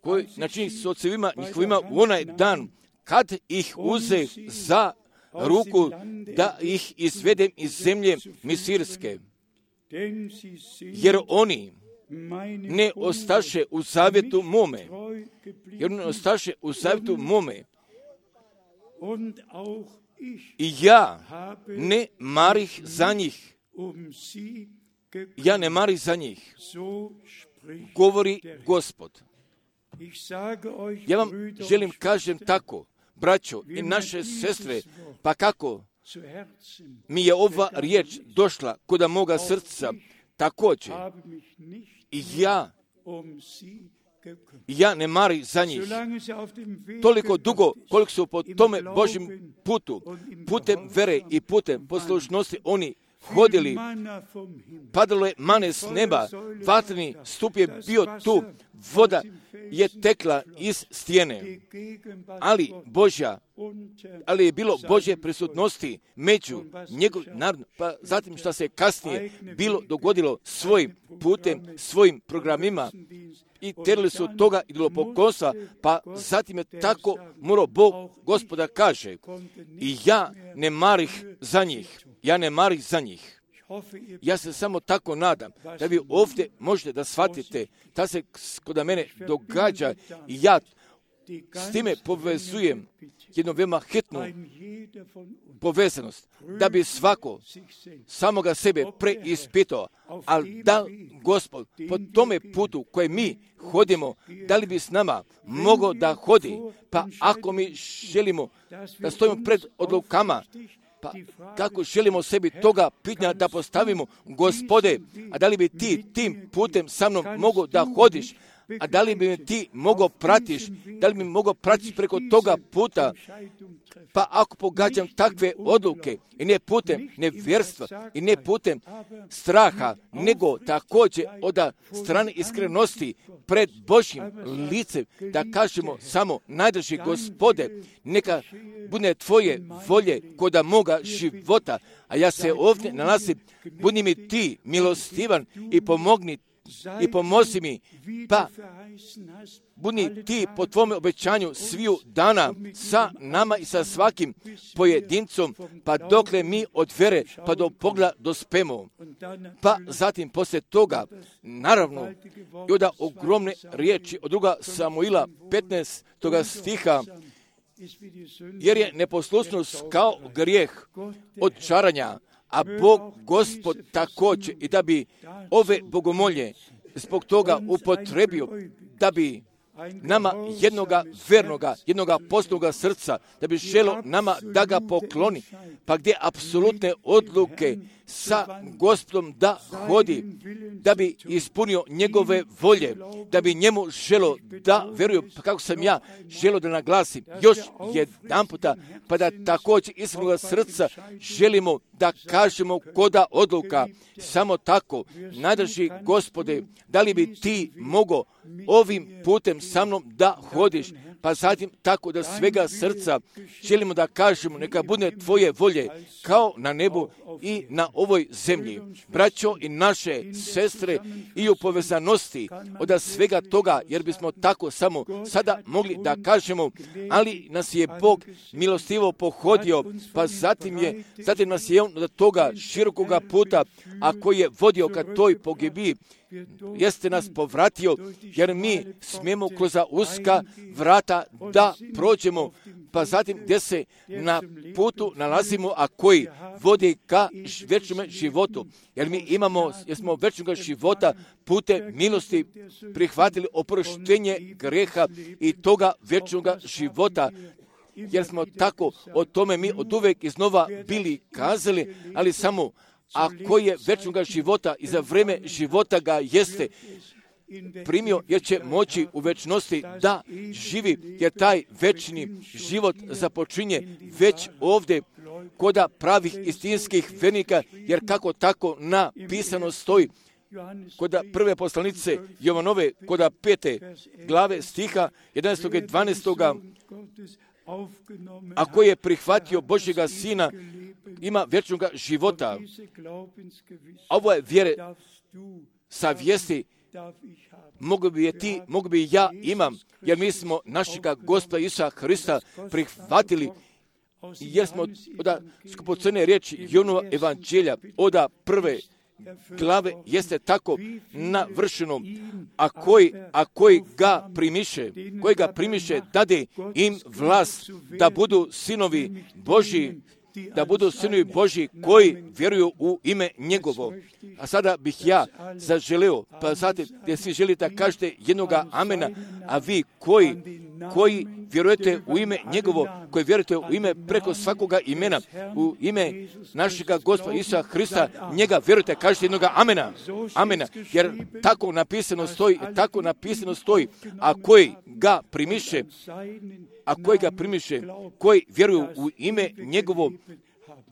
koji načinih s ocevima njihovima u onaj dan kad ih uze za ruku da ih izvedem iz zemlje Misirske. Jer oni ne ostaše u zavjetu mome, jer ne ostaše u zavjetu mome. I ja ne marih za njih. Ja ne marih za njih. Govori Gospod. Ja vam želim kažem tako, braćo i naše sestre, pa kako mi je ova riječ došla kod moga srca, također i ja ja ne marim za njih. Toliko dugo koliko su po tome Božjem putu, putem vere i putem poslušnosti oni hodili, padalo je mane s neba, vatreni stup je bio tu, voda je tekla iz stijene, ali Božja, ali je bilo Božje prisutnosti među njegov narod, pa zatim što se kasnije bilo dogodilo svojim putem, svojim programima, i terili su toga idolopoklonstva, pa zatim je tako morao Bog Gospoda kaže, i ja ne marih za njih, ja ne marih za njih. Ja se samo tako nadam da vi ovdje možete da shvatite da se kod mene događa i ja s time povezujem jednu veoma hitnu povezanost, da bi svako samoga sebe preispitao, ali da Gospod po tome putu koje mi hodimo, da li bi s nama mogao da hodi, pa ako mi želimo da stojimo pred odlukama, pa kako želimo sebi toga pitanja da postavimo, Gospode, a da li bi ti tim putem sa mnom mogao da hodiš, a da li bi me ti mogao pratiš, da li bi me mogao pratiti preko toga puta, pa ako pogađam takve odluke, i ne putem nevjerstva, i ne putem straha, nego također od strane iskrenosti pred Božjim licem, da kažemo samo, najdraži Gospode, neka bude tvoje volje kod moga života, a ja se ovdje nalazim, budi mi ti milostivan i pomogni i pomozi mi, pa budi ti po tvome obećanju sviju dana sa nama i sa svakim pojedincom, pa dokle mi od vere pa do pogleda dospemo. Pa zatim poslije toga, naravno, i od ogromne riječi od druga Samuila petnaestoga stiha, jer je neposlušnost kao grijeh od čaranja, a Bog Gospod također, i da bi ove bogomolje zbog toga upotrebio, da bi nama jednoga vernoga, jednoga postnoga srca, da bi želo nama da ga pokloni, pa gdje apsolutne odluke sa Gospodom da hodi, da bi ispunio njegove volje, da bi njemu želo da veruju, pa kako sam ja želo da naglasim još jedan puta, pa da također iskrenog srca želimo da kažemo koda odluka, samo tako, najdraži Gospode, da li bi ti mogao ovim putem sa mnom da hodiš, pa zatim tako da svega srca želimo da kažemo, neka bude tvoje volje kao na nebu i na ovoj zemlji. Braćo i naše sestre, i u povezanosti od svega toga, jer bismo tako samo sada mogli da kažemo, ali nas je Bog milostivo pohodio, pa zatim je, zatim nas je on od toga širokoga puta, a koji je vodio ka toj pogibiji, jeste nas povratio, jer mi smijemo kroz uska vrata da prođemo, pa zatim gdje se na putu nalazimo, a koji vodi ka vječnom životu. Jer mi imamo, jer smo vječnog života putem milosti prihvatili oproštenje greha i toga vječnog života, jer smo tako o tome mi od uvek iznova bili kazali, ali samo a koji je večnoga života i za vreme života ga jeste primio, jer će moći u večnosti da živi, jer taj večni život započinje već ovdje koda pravih istinskih vernika, jer kako tako napisano stoji koda prve poslanice Jovanove, koda pete glave stiha jedanaestog i dvanaestog a koji je prihvatio Božjega Sina ima večnog života. Ovo je vjere sa vijesti mogu bi je ti, mogu bi ja imam, jer mi smo našega Gospoda Isusa Hrista prihvatili, jer smo oda skupocrne riječi Jonova evanđelja, oda prve glave jeste tako navršeno, a koji, a koji ga primiše, koji ga primiše, dade im vlast da budu sinovi Božji, da budu sinovi Božji koji vjeruju u ime njegovo. A sada bih ja zaželeo, pa sad gdje svi želite da kažete jednoga amena, a vi koji, koji vjerujete u ime njegovo, koji vjerujete u ime preko svakoga imena, u ime našega Gospoda Isusa Hrista, njega vjerujete, kažete jednoga amena, amena, jer tako napisano stoji, tako napisano stoji, a koji ga primiše, a koji ga primiše, koji vjeruju u ime njegovo,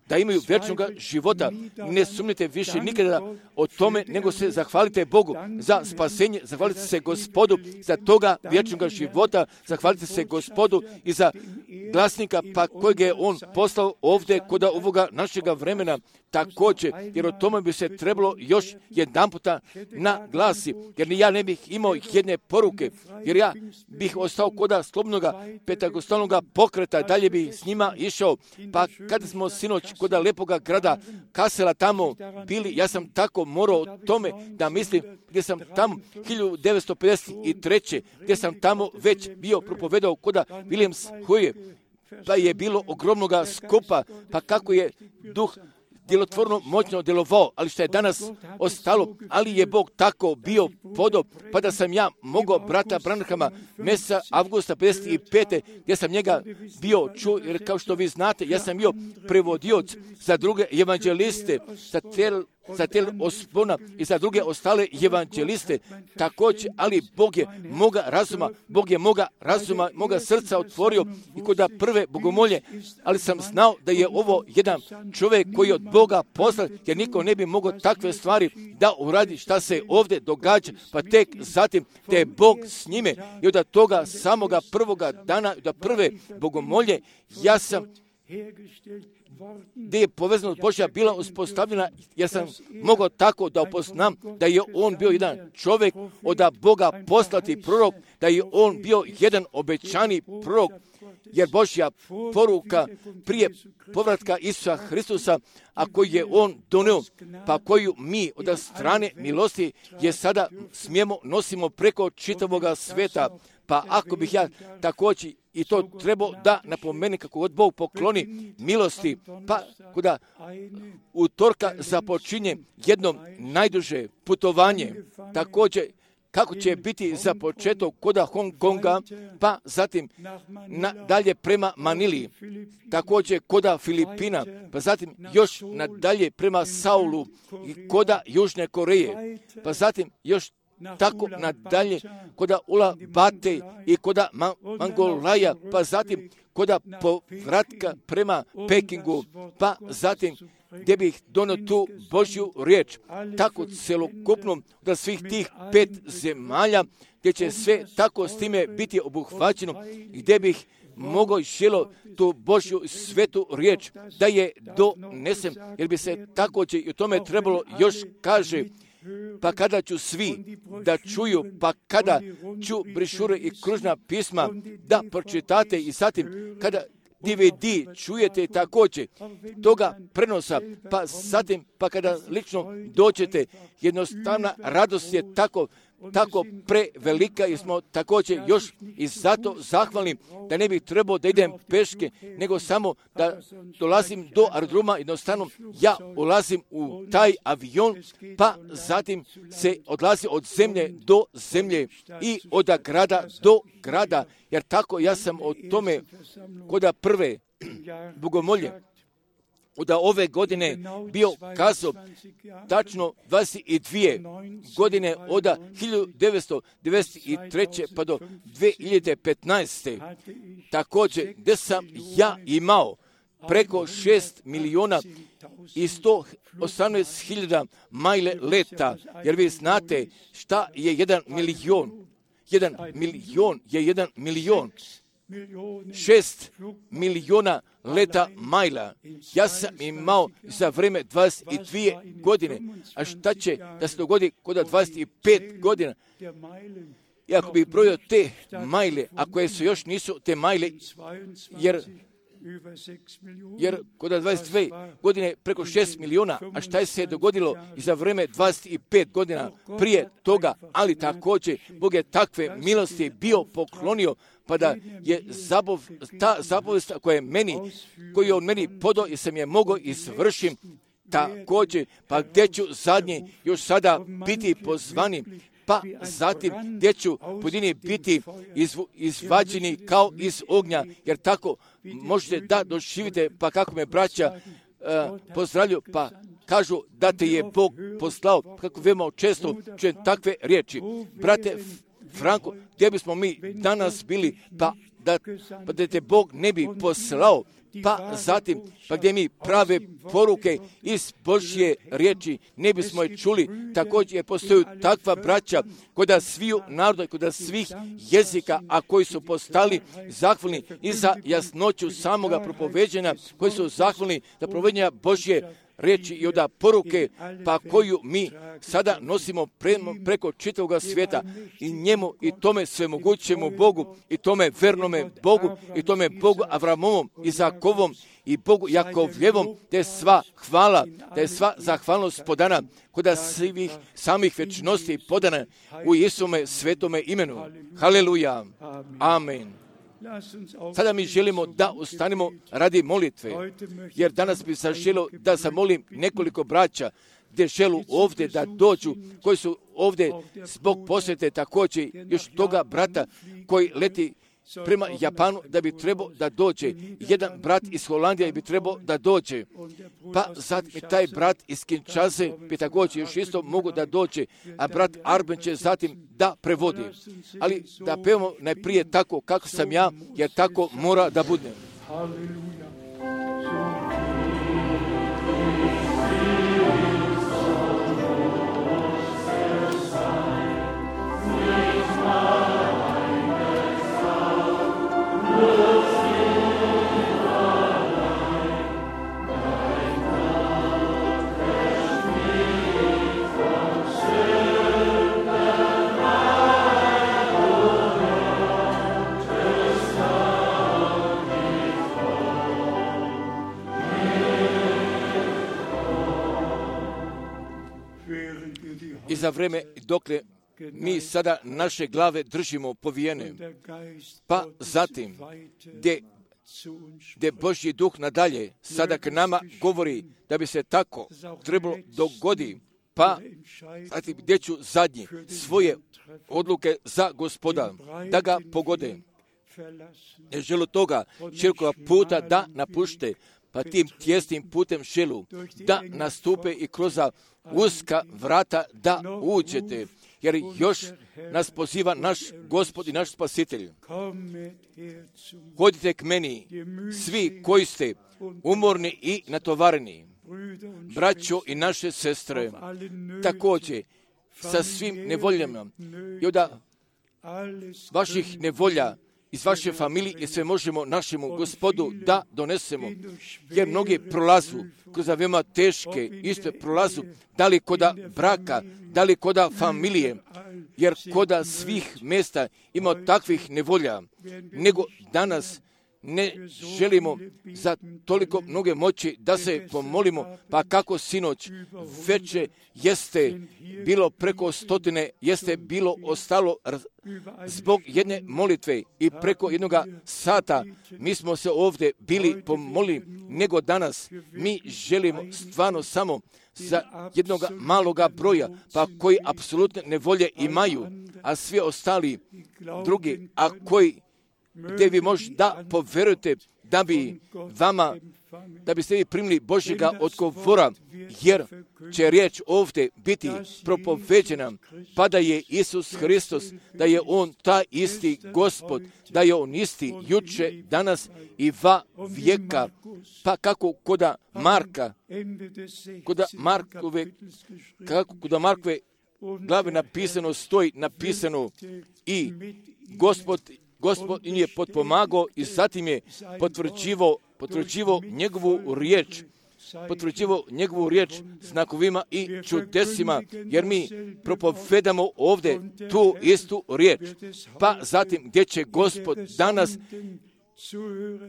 da imaju vječnog života. Ne sumnite više nikada o tome, nego se zahvalite Bogu za spasenje, zahvalite se Gospodu za toga vječnog života, zahvalite se Gospodu i za glasnika pa kojeg je on poslao ovdje kod ovoga našega vremena također, jer o tome bi se trebalo još jedan puta naglasi, jer ja ne bih imao jedne poruke, jer ja bih ostao koda slobodnoga pentagostalnoga pokreta, dalje bi s njima išao, pa kada smo sinoć koda lepoga grada Kasela tamo bili, ja sam tako morao o tome da mislim, gdje sam tamo hiljadu devetsto pedeset treće gdje sam tamo već bio propovedao koda Williams Huje, pa je bilo ogromnoga skupa, pa kako je duh djelotvorno moćno djelovao, ali što je danas ostalo, ali je Bog tako bio podob, pa da sam ja mogao brata Branhama mjeseca avgusta pedeset pete gdje sam njega bio čuo, jer kao što vi znate, ja sam bio prevodioc za druge evanđeliste, za tel, za tel Ospona i za druge ostale evanđeliste, također, ali Bog je moga razuma, Bog je moga razuma, moga srca otvorio i kod prve bogomolje, ali sam znao da je ovo jedan čovjek koji je od Boga poslao, jer niko ne bi mogao takve stvari da uradi šta se ovdje događa, pa tek zatim da je Bog s njime i od toga samoga prvoga dana, da prve bogomolje, ja sam gdje je povezanost Božja bila uspostavljena, jer sam mogao tako da upoznam da je on bio jedan čovjek od Boga poslati prorok, da je on bio jedan obećani prorok, jer Božja poruka prije povratka Isusa Hristusa, a koji je on donio, pa koju mi od strane milosti je sada smijemo nosimo preko čitavoga sveta. Pa ako bih ja također i to trebao da napomeni kako god Bog pokloni milosti, pa kuda utorka započinje jedno najduže putovanje, također kako će biti za početak koda Hong Konga, pa zatim na, dalje prema Manili, također koda Filipina, pa zatim još nadalje prema Saulu i koda Južne Koreje, pa zatim još tako nadalje koda Ula Bate i koda Ma- Mangolaja, pa zatim koda povratka prema Pekingu, pa zatim gdje bih donio tu Božju riječ, tako celokupno da svih tih pet zemalja, gdje će sve tako s time biti obuhvaćeno, gdje bih mogao želo tu Božju svetu riječ da je donesem, jer bi se također i o tome trebalo još kaže, pa kada ću svi da čuju, pa kada ću brišure i kružna pisma da pročitate i zatim kada D V D čujete također toga prenosa, pa zatim pa kada lično dođete, jednostavna radost je tako tako prevelika jer smo također još i zato zahvalni da ne bih trebao da idem peške, nego samo da dolazim do aerodroma, jednostavno ja ulazim u taj avion, pa zatim se odlazi od zemlje do zemlje i od grada do grada, jer tako ja sam o tome koda prve bogomolje da ove godine bio kazao tačno dvadeset dvije godine od hiljadu devetsto devedeset treće pa do dvije hiljade petnaeste. Također, gdje sam ja imao preko šest milijuna i sto osamnaest hiljada majle leta, jer vi znate šta je jedan milion. Jedan milion je jedan milion. Šest milijuna leta majla. Ja sam imao za vrijeme dvadeset dvije godine. A šta će da se dogodi kod dvadeset pet godina? I ako bih brojio te majle, a koje su još nisu te majle, jer jer kod dvadeset dvije godine preko šest milijuna, a šta je se dogodilo i za vrijeme dvadeset pet godina prije toga, ali također Bog je takve milosti bio poklonio, pa da je zabov, ta zapovest koja je meni, koju je on meni podao i sam je mogao izvršim također, pa gdje ću zadnji još sada biti pozvani, pa zatim gdje ću pojedini biti izvu, izvađeni kao iz ognja, jer tako možete da doživite, pa kako me braća uh, pozdravlju, pa kažu da te je Bog poslao, kako veoma često čujem takve riječi. Brate Franko, gdje bismo mi danas bili, pa da, pa da te Bog ne bi poslao, pa zatim, pa gdje mi prave poruke iz Božje riječi ne bismo je čuli. Također je postoju takva braća kod sviju naroda, kod svih jezika, a koji su postali zahvalni i za jasnoću samoga propoveđenja, koji su zahvalni za provođenja Božje riječi i od poruke, pa koju mi sada nosimo pre, preko čitavog svijeta i njemu i tome svemogućemu Bogu i tome vernome Bogu i tome Bogu Avramovom, Izakovom i Bogu Jakovljevom, te sva hvala, te sva zahvalnost podana kod svih samih vječnosti podana u Isume svetome imenu. Haleluja. Amen. Sada mi želimo da ustanemo radi molitve, jer danas bi se želio da zamolim nekoliko braća gdje želu ovdje da dođu, koji su ovdje zbog posjete također još toga brata koji leti prema Japanu da bi trebao da dođe. Jedan brat iz Holandije bi trebao da dođe. Pa zatim i taj brat iz Kinshase bi također još isto mogu da dođe, a brat Arben će zatim da prevodi. Ali da pevamo najprije tako kako sam ja, jer tako mora da bude. I za vrijeme dokle mi sada naše glave držimo povijene, pa zatim gdje, gdje Božji duh nadalje sada k nama govori da bi se tako trebalo dogodi, pa zatim gdje ću zadnji svoje odluke za Gospoda da ga pogode. Ne želu toga širokog puta da napušte, pa tim tjesnim putem želu da nastupe i kroz uska vrata da uđete, jer još nas poziva naš Gospod i naš Spasitelj. Hodite k meni, svi koji ste umorni i natovareni, braćo i naše sestre, također sa svim nevoljama i od vaših nevolja iz vaše familije i sve možemo našemu Gospodu da donesemo, jer mnogi prolazu kroz veoma teške, isto prolazu, da li koda braka, da li koda familije, jer koda svih mjesta ima takvih nevolja, nego danas ne želimo za toliko mnoge moći da se pomolimo, pa kako sinoć veće jeste bilo preko stotine, jeste bilo ostalo zbog jedne molitve i preko jednoga sata mi smo se ovdje bili pomolili, nego danas mi želimo stvarno samo za jednog maloga broja, pa koji apsolutne nevolje imaju, a svi ostali drugi, a koji gdje vi možete da poverujete da bi vama da biste vi primili Božjega odgovora, jer će riječ ovdje biti propoveđena, pa da je Isus Hristos, da je On ta isti Gospod, da je On isti juče, danas i va vijeka, pa kako koda Marka, koda Markove, kako koda Markove glave napisano, stoji napisano i Gospod, Gospod im je potpomagao i zatim je potvrđivo, potvrđivo njegovu riječ, potvrđivo njegovu riječ znakovima i čudesima, jer mi propovedamo ovdje tu istu riječ. Pa zatim gdje će Gospod danas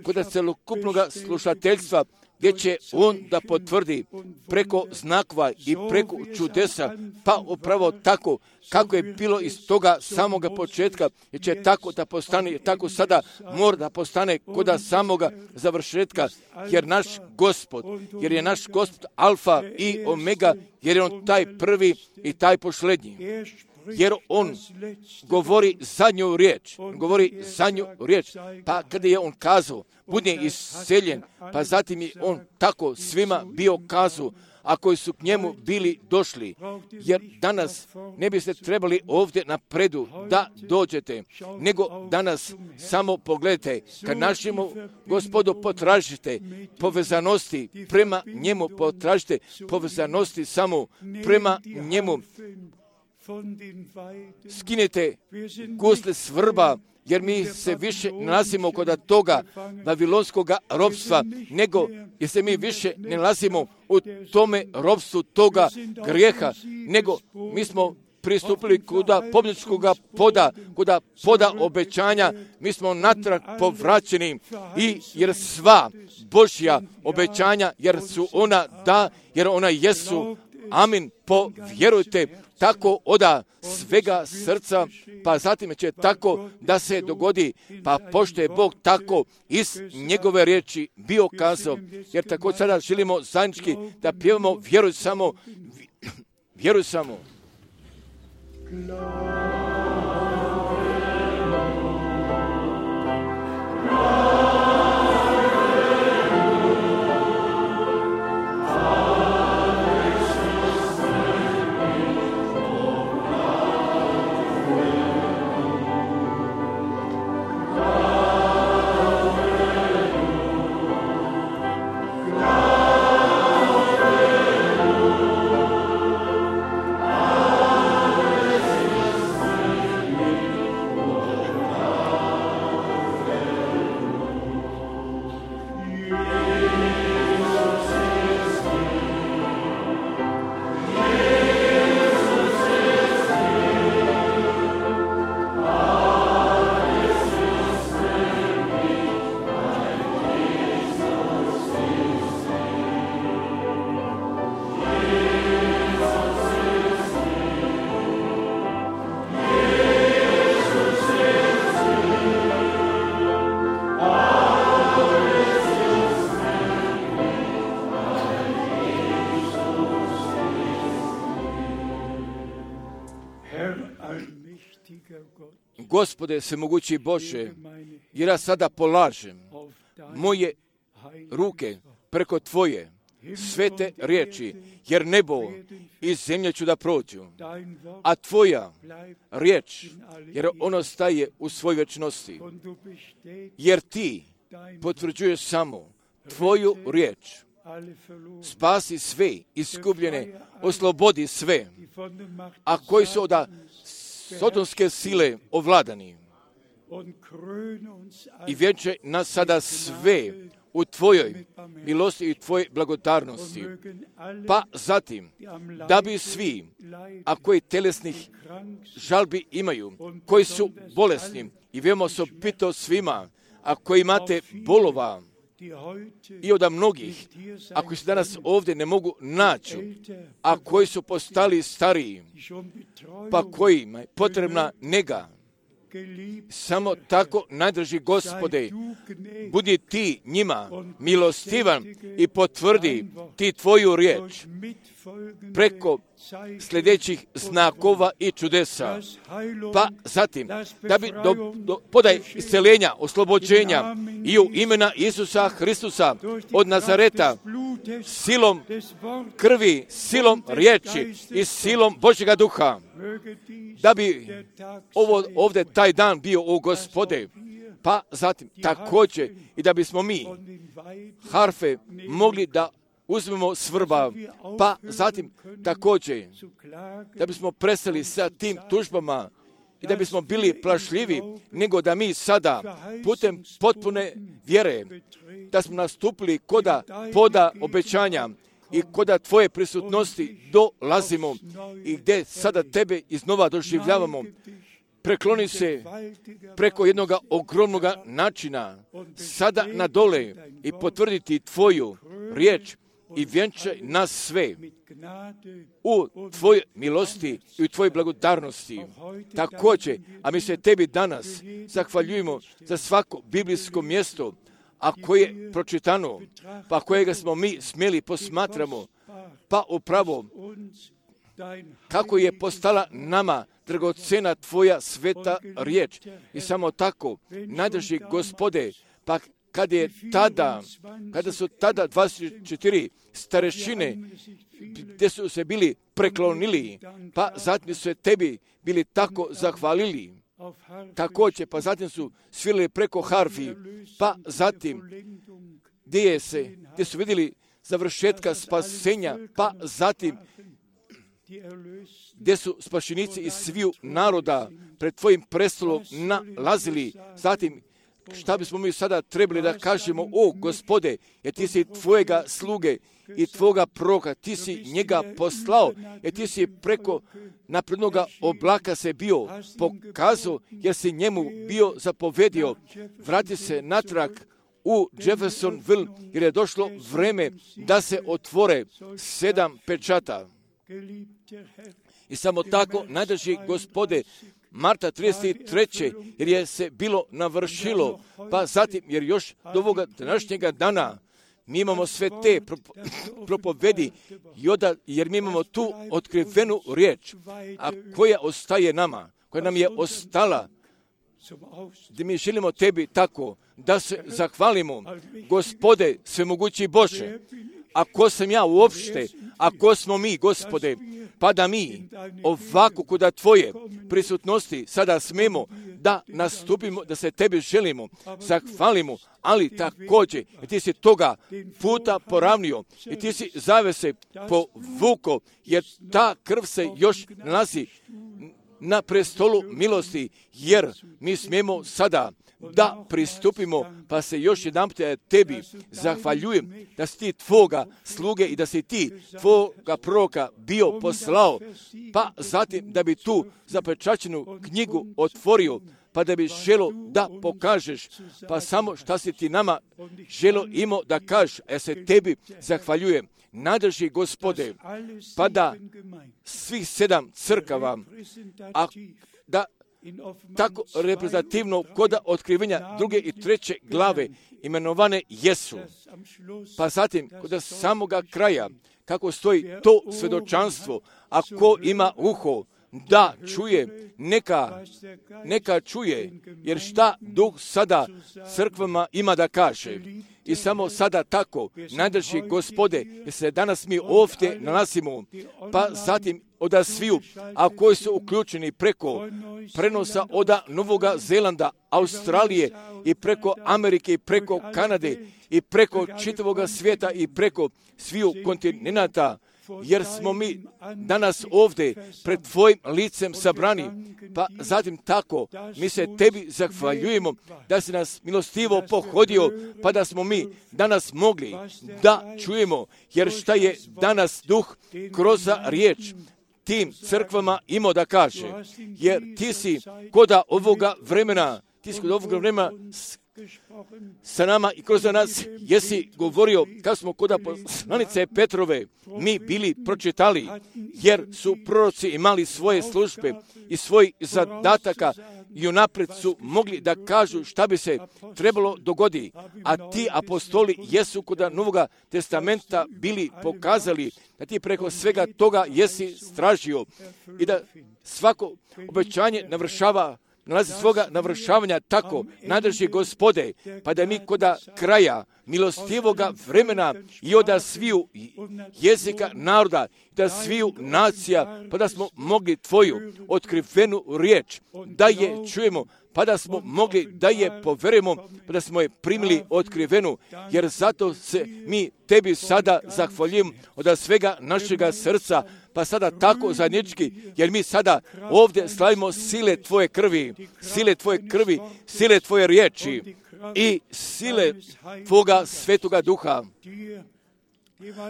kod celokupnog slušateljstva, gdje će On da potvrdi preko znakova i preko čudesa, pa upravo tako kako je bilo iz toga samoga početka, jer će tako da postane, tako sada mora da postane kod samoga završetka, jer naš Gospod, jer je naš Gospod Alfa i Omega, jer je On taj prvi i taj posljednji. Jer On govori zadnju riječ, govori zadnju riječ, pa kada je On kazao, bude isceljen, pa zatim je On tako svima bio kazao, a koji su k njemu bili došli, jer danas ne biste trebali ovdje napredu da dođete, nego danas samo pogledajte, kad našemu Gospodu potražite povezanosti prema njemu, potražite povezanosti samo prema njemu, skinete gusle s vrba, jer mi se više nalazimo kod toga babilonskog ropstva, nego jer se mi više ne nalazimo u tome ropstvu toga grijeha, nego mi smo pristupili kuda pobjedničkog poda, kuda poda obećanja, mi smo natrag povraćeni i jer sva Božja obećanja, jer su ona da, jer ona jesu, amin, povjerujte, tako oda svega srca, pa zatim će tako da se dogodi, pa pošto je Bog tako iz njegove riječi bio kazao, jer tako sada želimo zajednički da pjevamo vjeruj samo, vjeruj samo. Gospode, svemogući Bože, jer ja sada polažem moje ruke preko Tvoje svete riječi, jer nebo i zemlja ću da prođu, a Tvoja riječ, jer ono staje u svoj vječnosti, jer Ti potvrđuješ samo Tvoju riječ. Spasi sve izgubljene, oslobodi sve, a koji su od sotonske sile ovladani. I vjenčaj nas sada sve u Tvojoj milosti i Tvojoj blagodarnosti. Pa zatim, da bi svi, a koji telesnih žalbi imaju, koji su bolesni, i veoma osobito svima, a koji imate bolova, i od mnogih, a koji se danas ovdje ne mogu naći, a koji su postali stariji, pa kojima je potrebna nega, Samo tako, najdraži Gospode, budi ti njima milostivan i potvrdi ti tvoju riječ preko sljedećih znakova i čudesa. Pa zatim, da bi do, do, podaj isceljenja, oslobođenja i u imena Isusa Hristusa od Nazareta, silom krvi, silom riječi i silom Božjega duha, da bi ovo ovdje taj dan bio u Gospode. Pa zatim također i da bismo mi harfe mogli da uzmemo svrba, pa zatim također da bismo prestali sa tim tužbama i da bismo bili plašljivi, nego da mi sada putem potpune vjere, da smo nastupili koda poda obećanja i koda tvoje prisutnosti dolazimo i gdje sada tebe iznova doživljavamo. Prekloni se preko jednog ogromnog načina sada na dole i potvrditi tvoju riječ i vjenčaj nas sve u tvojoj milosti i u tvojoj blagodarnosti. Također, a mi se tebi danas zahvaljujemo za svako biblijsko mjesto, a koje je pročitano, pa kojega smo mi smjeli posmatramo, pa upravo kako je postala nama dragocena tvoja sveta riječ. I samo tako, najdrži Gospode, pa kad je tada, kada su tada dvadeset četiri starešine, gdje su se bili preklonili, pa zatim su se tebi bili tako zahvalili. Također, pa zatim su svirali preko harfi, pa zatim gdje, je se, gdje su vidjeli završetka spasenja, pa zatim gdje su spašenici iz sviju naroda pred tvojim prestolom nalazili. Zatim, šta bismo mi sada trebali da kažemo, o Gospode, jer ti si tvojega sluge i tvoga proroka, ti si njega poslao, jer ti si preko naprednoga oblaka se bio pokazao, jer si njemu bio zapovedio. Vrati se natrag u Jeffersonville, jer je došlo vreme da se otvore sedam pečata. I samo tako, najdrži Gospode, marta trideset treće jer je se bilo navršilo, pa zatim, jer još do ovoga današnjega dana mi imamo sve te propovedi, jer mi imamo tu otkrivenu riječ, a koja ostaje nama, koja nam je ostala, gdje mi želimo tebi tako, da se zahvalimo, Gospode, svemogući Bože, a ko sam ja uopšte, a ko smo mi, Gospode, pa da mi ovako kuda tvoje prisutnosti sada smemo da nastupimo, da se tebi želimo, zahvalimo, ali također i ti si toga puta poravnio i ti si zavese povuko, jer ta krv se još nalazi na prestolu milosti, jer mi smijemo sada da pristupimo, pa se još jedan put tebi zahvaljujem da si ti tvoga sluge i da si ti tvoga proroka bio poslao, pa zatim da bi tu zapečaćenu knjigu otvorio, pa da bi želo da pokažeš, pa samo šta si ti nama želo imao da kažeš, ja se tebi zahvaljujem. Nadrži Gospode, pa da svih sedam crkava, a da tako reprezentativno koda otkrivenja druge i treće glave imenovane jesu. Pa zatim, kod samoga kraja, kako stoji to svjedočanstvo, a ko ima uho da čuje, neka, neka čuje, jer šta Duh sada crkvama ima da kaže. I samo sada tako, najdrži Gospode, jer se danas mi ovdje nalazimo, pa zatim oda sviju, a koji su uključeni preko prenosa oda Novoga Zelanda, Australije i preko Amerike i preko Kanade i preko čitavoga svijeta i preko sviju kontinenata, jer smo mi danas ovdje pred tvojim licem sabrani, pa zatim tako mi se tebi zahvaljujemo da si nas milostivo pohodio, pa da smo mi danas mogli da čujemo, jer šta je danas Duh kroz riječ tim crkvama imao da kaže, jer ti si koda ovoga vremena, ti si kod ovoga vremena sa nama i kroz nas jesi govorio, kad smo kod poslanice Petrove, mi bili pročitali, jer su proroci imali svoje službe i svoj zadataka i unaprijed su mogli da kažu šta bi se trebalo dogodi, a ti apostoli jesu kod Novoga testamenta bili pokazali da ti preko svega toga jesi stražio i da svako obećanje navršava, nalazi svoga navršavanja tako, nadrži Gospode, pa da mi kod kraja milostivoga vremena i od sviju jezika naroda, da sviju nacija, pa da smo mogli tvoju otkrivenu riječ, da je čujemo, pa da smo mogli da je poverujemo, pa da smo je primili otkrivenu, jer zato se mi tebi sada zahvaljujemo od svega našega srca, pa sada tako zajednički, jer mi sada ovdje slavimo sile tvoje krvi, sile tvoje krvi, sile tvoje riječi i sile tvoga svetoga duha.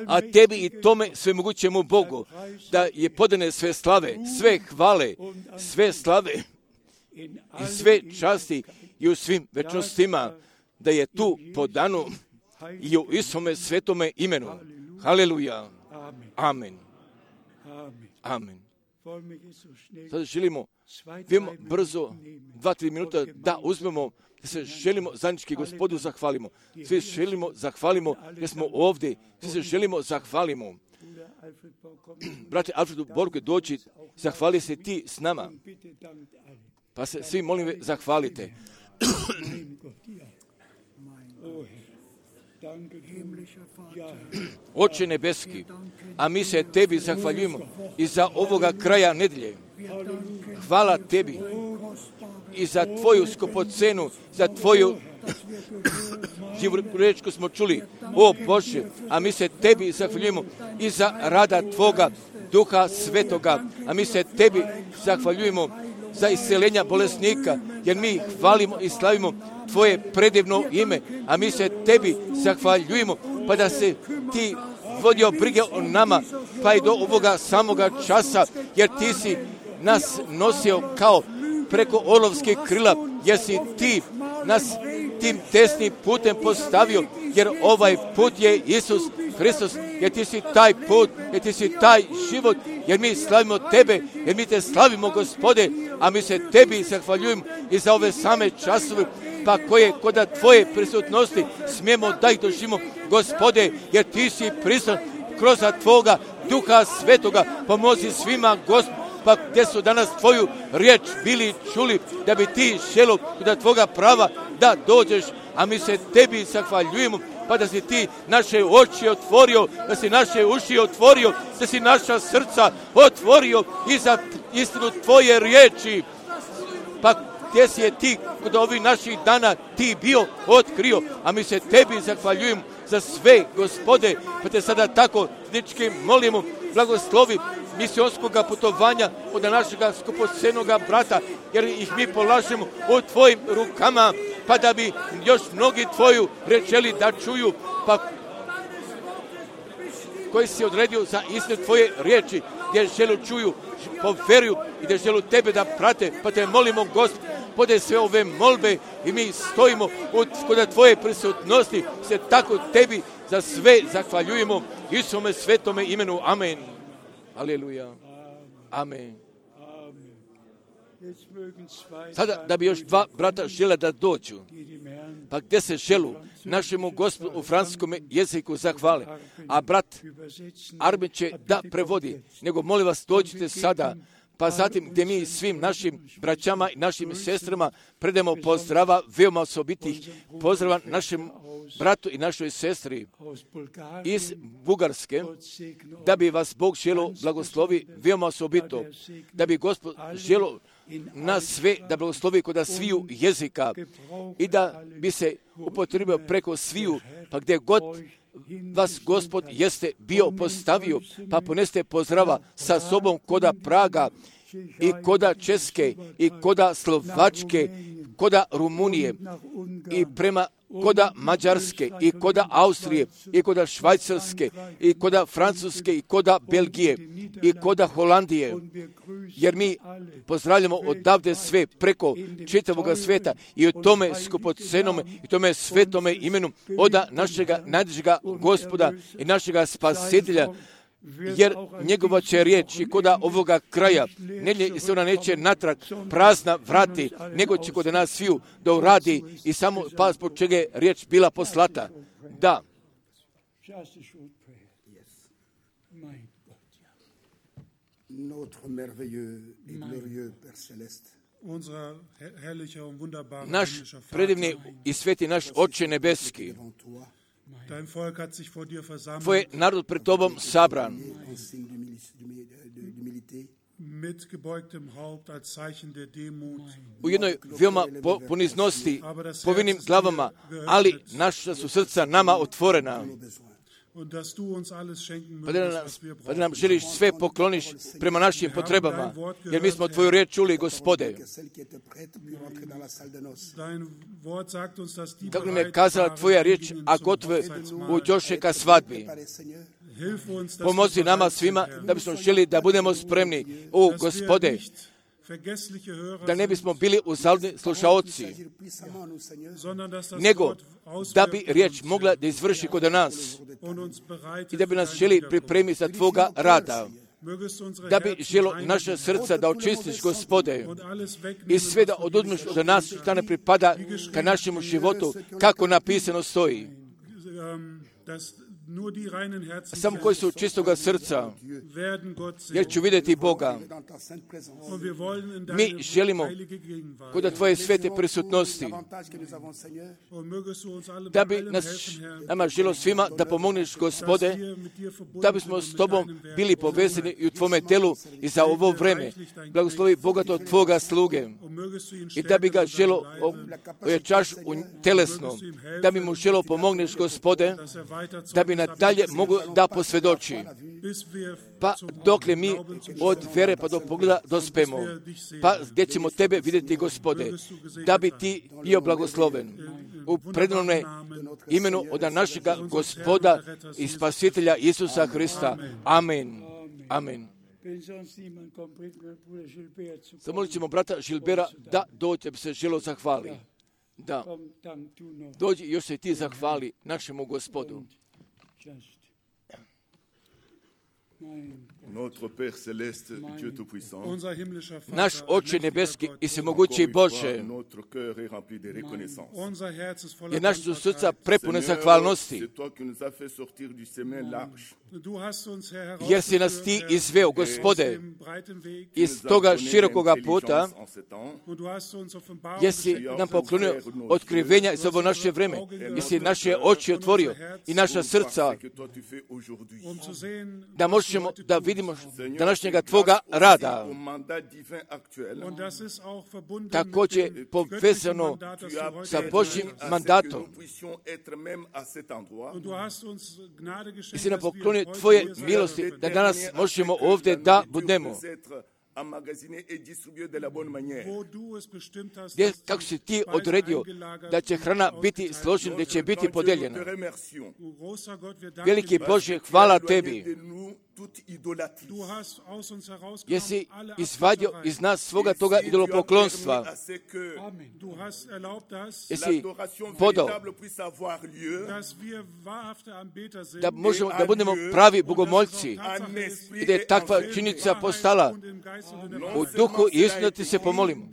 A tebi i tome svemogućemu Bogu, da je podane sve slave, sve hvale, sve slave i sve časti i u svim večnostima, da je tu podano i u istome svetome imenu. Haleluja. Amen. Amen. Sada želimo, vidimo brzo, dva, tri minuta da uzmemo, da se želimo zajednički Gospodu zahvalimo. Svi želimo zahvalimo, jer smo ovdje, svi se želimo zahvalimo. Brate Alfredu Borgu, dođi, zahvali se ti s nama. Pa se svi molim zahvalite. Oče nebeski, a mi se tebi zahvaljujemo i za ovoga kraja nedelje. Hvala tebi i za tvoju skupocenu, za tvoju živu riječ koju smo čuli. O Bože, a mi se tebi zahvaljujemo i za rada tvoga Duha Svetoga, a mi se tebi zahvaljujemo za isceljenja bolesnika, jer mi hvalimo i slavimo tvoje predivno ime, a mi se tebi zahvaljujemo, pa da se ti vodio brige o nama, pa i do ovoga samoga časa, jer ti si nas nosio kao preko orlovskih krila, jer si ti nas tim tesnim putem postavio, jer ovaj put je Isus Hristos, jer ti si taj put, jer ti si taj život, jer mi slavimo tebe, jer mi te slavimo, Gospode, a mi se tebi zahvaljujemo i za ove same časove, pa koje kod tvoje prisutnosti smijemo da ih doživimo, Gospode, jer ti si prisutan kroz tvoga Duha Svetoga, pomozi svima, Gospod, pa gdje su danas tvoju riječ bili čuli, da bi ti šelo kod tvoga prava da dođeš, a mi se tebi zahvaljujemo, pa da si ti naše oči otvorio, da si naše uši otvorio, da si naša srca otvorio i za istinu tvoje riječi, pa gdje si je ti kod ovih naših dana ti bio otkrio, a mi se tebi zahvaljujemo za sve, Gospode, pa te sada tako nički molimo, blagoslovi misionskoga putovanja od našega skupocenoga brata, jer ih mi polažemo u tvojim rukama, pa da bi još mnogi tvoju rečeli da čuju, pa koji si odredio za istinu tvoje riječi, gdje želu čuju, poveruju i gdje želu tebe da prate, pa te molimo, Gospode, sve ove molbe i mi stojimo kod tvoje prisutnosti, se tako tebi za sve zahvaljujemo, Isuse svetome imenu. Amen. Aleluja. Amen. Sada da bi još dva brata žele da dođu, pa gdje se želu našemu Gospodu u francuskom jeziku zahvale, a brat Armin će da prevodi, nego molim vas dođite sada, pa zatim gdje mi svim našim braćama i našim sestrama predemo pozdrava, veoma osobitih pozdrava našem bratu i našoj sestri iz Bugarske, da bi vas Bog želo blagoslovi veoma osobito, da bi Gospod želo nas sve da blagoslovi kod sviju jezika i da bi se upotrebio preko sviju, pa gdje god vas Gospod jeste bio postavio, pa poneste pozdrava sa sobom koda Praga i koda Česke i koda Slovačke, koda Rumunije i prema koda Mađarske, i koda Austrije, i koda Švajcarske, i koda Francuske, i koda Belgije, i koda Holandije, jer mi pozdravljamo odavde sve preko čitavoga sveta i o tome skupocenome i tome svetome imenu oda našega najdražega Gospoda i našega Spasitelja, jer njegova će riječ i koda ovoga kraja ne se ona neće natrag prazna vrati, nego će kod nas sviju da uradi i samo pa zbog čega je riječ bila poslata. Da. Naš predivni i sveti naš Oče nebeski, tvoj narod pred tobom sabran, u jednoj veoma poniznosti, povinim glavama, ali naša su srca nama otvorena. Pa da, nam, pa da nam želiš sve pokloniš prema našim potrebama, jer mi smo tvoju riječ čuli, Gospode. Kako nam je kazala tvoja riječ, a gotove uđoše ka svadbi. Pomozi nama svima da bismo želi da budemo spremni. O, Gospode, da ne bismo bili uzaludni slušaoci, nego da bi riječ mogla da izvrši kod nas i da bi nas želi pripremiti za tvoga rada, da bi želo naše srca da očistiš, Gospode, i sve da oduzmeš od nas što ne pripada ka našemu životu, kako napisano stoji. Samo koji su čistoga srca, jer ću vidjeti Boga. Mi želimo kod tvoje svete prisutnosti, da bi nas, nama želo svima da pomogneš, Gospode, da bismo s tobom bili povezani i u tvome telu i za ovo vreme. Blagoslovi bogato tvoga sluge i da bi ga želo ojačaš u telesno, da bi mu želo pomogneš, Gospode, da bi nadalje mogu da posvjedoči. Pa dokle mi od vere pa do pogleda dospemo, pa gdje ćemo tebe vidjeti, Gospode, da bi ti bio blagosloven u predivnome imenu od našega Gospoda i Spasitelja Isusa Hrista. Amen. Amen. Zamolit ćemo brata Žilbera da dođe, bi se želo zahvali. Da. Dođi još se ti zahvali našemu Gospodu. Naš Oče nebeski i svemogući Bože, jer naše su srca prepune zahvalnosti, jer si nas ti izveo, Gospode, iz toga širokoga puta, jer si nam poklonio otkrivenja za ovo naše vreme, jer si naše oči otvorio i naša srca, da možemo da vidimo današnjega tvoga rada. Također povezano sa Božjim mandatom. I si nam poklonio tvoje milosti da danas možemo ovdje da budemo. Gdje, kako si ti odredio da će hrana biti složena, da će biti podijeljena. Veliki Bože, hvala tebi. Jesi izvadio iz nas svoga toga idolopoklonstva. Jesi podao da možemo da budemo pravi bogomoljci i da je takva činjenica postala. U duhu i istinu ti se pomolimo.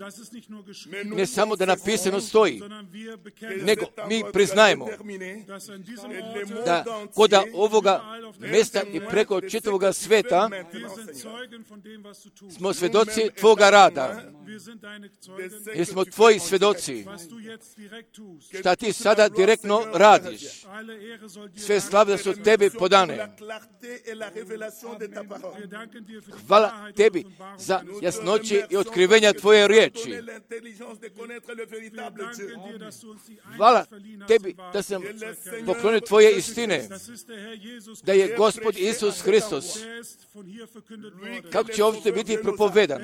Ne samo da napisano stoji, nego mi priznajemo da kod ovoga mjesta i preko čitavoga sveta smo svjedoci tvoga rada. Jer smo tvoji svjedoci. Šta ti sada direktno radiš. Sve slave da su tebi podane. Hvala tebi za jasnoće i otkrivenja tvoje riječi. Hvala tebi da sam poklonio tvoje istine. Da je Gospod Isus Hristos, kako će ovdje biti propovedan.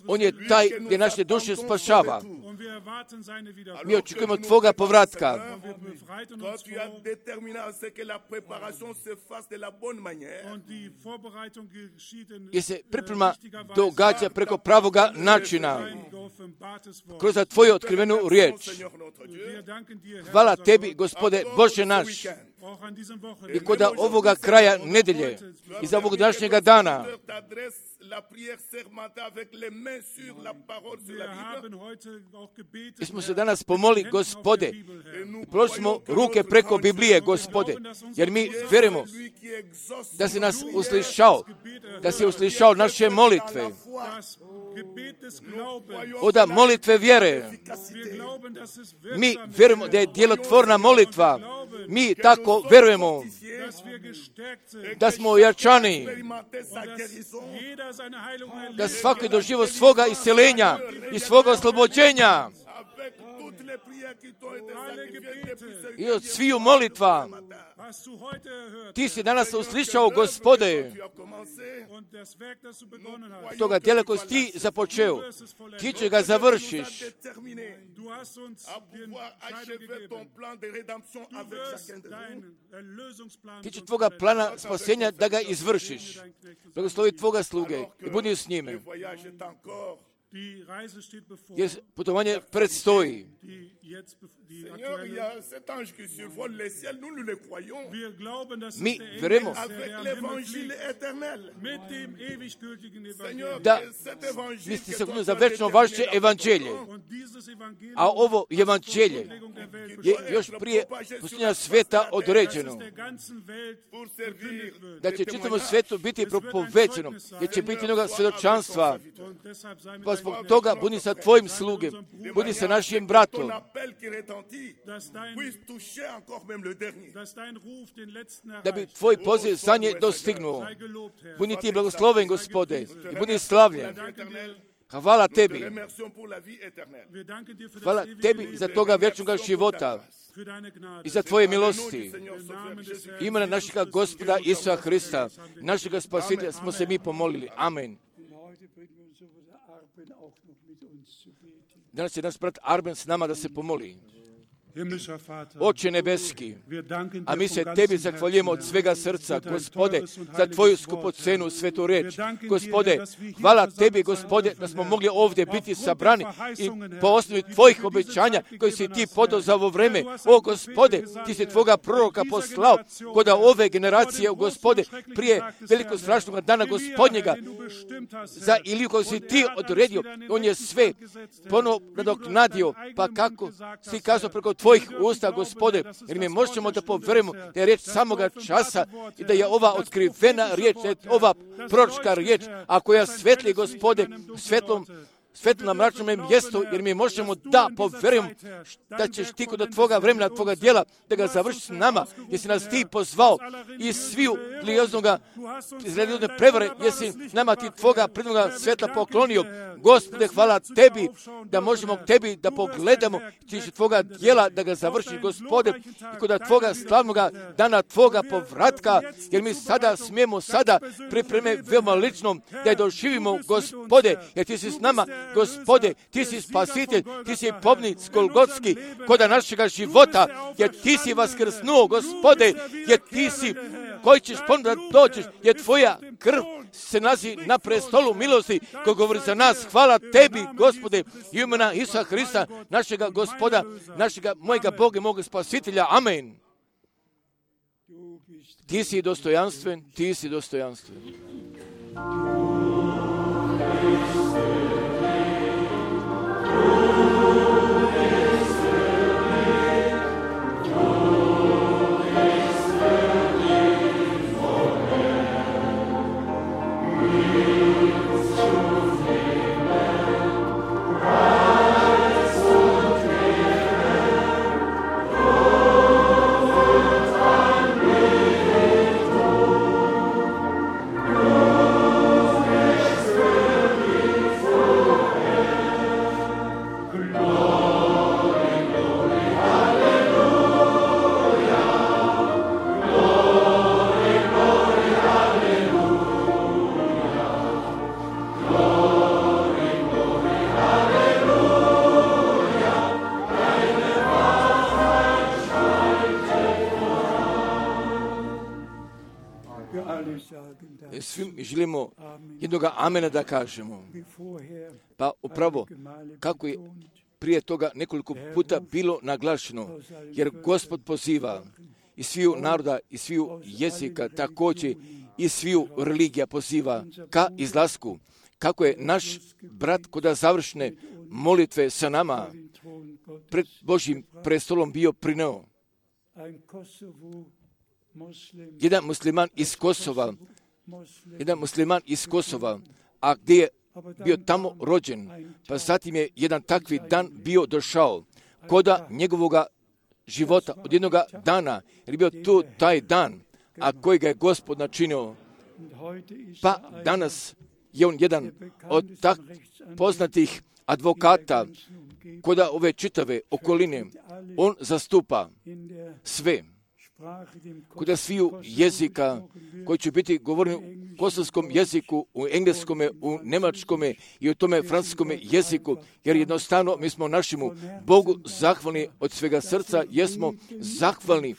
On je taj gdje naše duše spašava. Mi očekujemo Tvoga povratka. Jer se priprema događa preko pravoga načina, kroz Tvoju otkrivenu riječ. Hvala Tebi, Gospode, Bože naš, i kod ovoga kraja nedelje, iz ovog današnjega dana, mi smo se danas pomoli, Gospode, i položili smo ruke preko Biblije, Gospode, jer mi vjerujemo da si nas uslišao, da si uslišao naše molitve, od molitve vjere. Mi vjerujemo da je djelotvorna molitva. Mi tako vjerujemo da smo ojačani, da svaki je doživio svoga isceljenja i svoga oslobođenja i od sviju molitva. Ti si danas uslišao, Gospode, toga djela koji si ti započeo, ti će ga završiš. Ti će tvoga plana spasenja da ga izvršiš. Blagoslovi tvoga sluge i budi s njime. Jer putovanje predstoji. Mi vjerujemo da misli se za večno vaše evanđelje. A ovo evanđelje je još prije posljednja sveta određeno. Da će čitavom svetu biti propoveđeno, jer će biti mnoga svjedočanstva. Pa zbog toga budi sa tvojim slugem, budi sa našim bratom, da bi tvoj poziv za nje dostignuo. Budi ti blagosloven, Gospode, i budi slavljen. Hvala Tebi. Hvala Tebi za toga vječnoga života i za Tvoje milosti. Imena našega Gospoda Isusa Hrista, našega Spasitelja, smo se mi pomolili. Amen. Danas je naš brat Arben s nama da se pomoli. Oče nebeski, a mi se Tebi zahvaljujemo od svega srca, Gospode, za Tvoju skupocenu svetu reč. Gospode, hvala Tebi, Gospode, da smo mogli ovdje biti sabrani i po osnovi Tvojih obećanja koji si Ti podao za ovo vreme. O Gospode, Ti si Tvoga proroka poslao kod ove generacije, Gospode, prije velikog strašnog dana Gospodnjega, za Iliju koji si Ti odredio. On je sve ponovo nadoknadio, pa kako si kazao preko Tvojih usta, Gospode, jer mi možemo da povjerujemo da je riječ samoga časa i da je ova otkrivena riječ, da je ova proročka riječ, a koja svetli, Gospode, svetlom svetlom na mračnom mjestu, jer mi možemo da povjerujemo da ćeš Ti kod Tvoga vremena, Tvoga djela, da ga završiš s nama, jer si nas Ti pozvao iz sviju lijoznoga, iz religiozne prevare, jer si nama Ti Tvoga prednoga svetla poklonio. Gospode, hvala Tebi da možemo Tebi da pogledamo Ti će Tvoga djela da ga završiš, Gospode, i kod Tvoga slavnoga dana Tvoga povratka, jer mi sada smijemo sada pripreme veoma ličnom da je doživimo, Gospode, jer Ti si s nama, Gospode, Ti si spasitelj, Ti si pobjednik Golgotski koda našega života, jer Ti si vaskrsnuo, Gospode, jer Ti si koji ćeš ponovno da dođeš, jer Tvoja krv se nalazi na prestolu milosti koji govori za nas. Hvala Tebi, Gospode, imena Isusa Hrista, našega Gospoda, našega mojega Boga i moga Spasitelja. Amen. Ti si dostojanstven, Ti si dostojanstven. Oh želimo jednoga amena da kažemo. Pa upravo, kako je prije toga nekoliko puta bilo naglašeno, jer Gospod poziva i sviju naroda, i sviju jezika, također i sviju religija poziva ka izlasku. Kako je naš brat kod završne molitve sa nama pred Božjim prestolom bio prineo. Jedan musliman iz Kosova, jedan musliman iz Kosova, a gdje je bio tamo rođen, pa zatim je jedan takvi dan bio došao, koda njegovoga života od jednoga dana, jer je bio tu taj dan, a koji ga je Gospod načinio. Pa danas je on jedan od tak poznatih advokata koda ove čitave okoline. On zastupa sve koda sviju jezika koji će biti govoreni u kosovskom jeziku, u engleskome, u njemačkome i u tome francuskome jeziku, jer jednostavno mi smo našemu Bogu zahvalni od svega srca, jesmo zahvalni,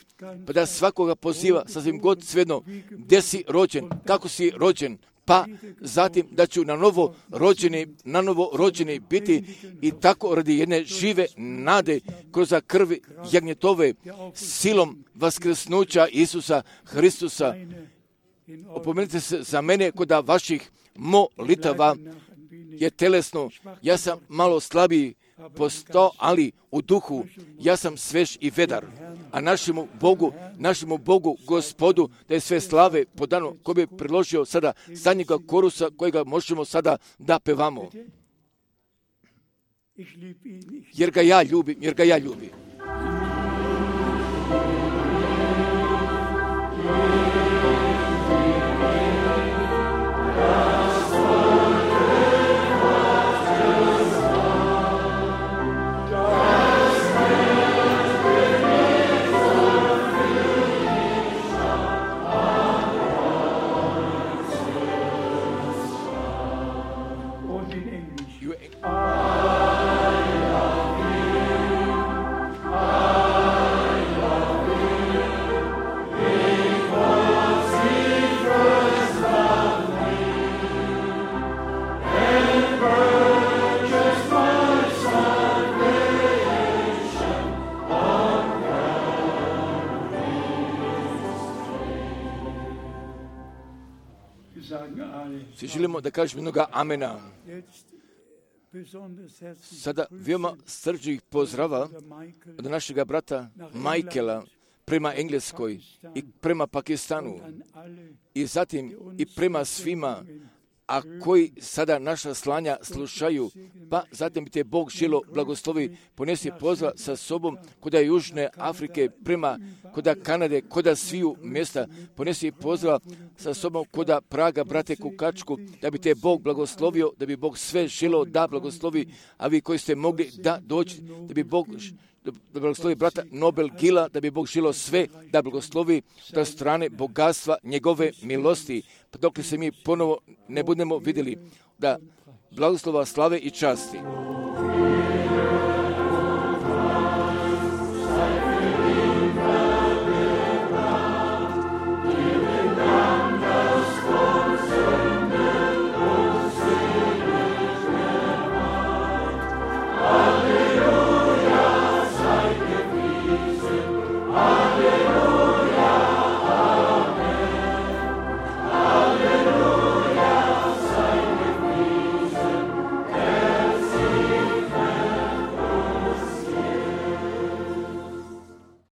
pa da svakoga poziva, sasvim god svejedno, gdje si rođen, kako si rođen, pa zatim da ću na novo rođeni, na novo rođeni biti i tako radi jedne žive nade kroz krvi jagnjetove silom vaskrsnuća Isusa Hristusa. Opomenite se za mene kod vaših molitava je telesno. Ja sam malo slabiji postao, ali u duhu ja sam svež i vedar. A našemu Bogu, našemu Bogu, Gospodu, da je sve slave podano, ko bi priložio sada zadnjega korusa kojega možemo sada da pevamo. Jer ga ja ljubim, jer ga ja ljubim. Svi želimo da kažemo jednoga amena. Sada veoma srđih pozdrava od našega brata Michaela prema Engleskoj i prema Pakistanu i zatim i prema svima, a koji sada naša slanja slušaju, pa zatim bi te Bog želo blagoslovi, ponesi pozdrav sa sobom koda Južne Afrike, prema koda Kanade, koda sviju mjesta, ponesi pozdrav sa sobom koda Praga, brate Kukačku, da bi te Bog blagoslovio, da bi Bog sve želo da blagoslovi, a vi koji ste mogli da doći, da bi Bog da blagoslovi brata Nobel Gila, da bi Bog želo sve da blagoslovi od strane bogatstva njegove milosti, pa dok se mi ponovo ne budemo vidjeli, da blagoslova, slave i časti.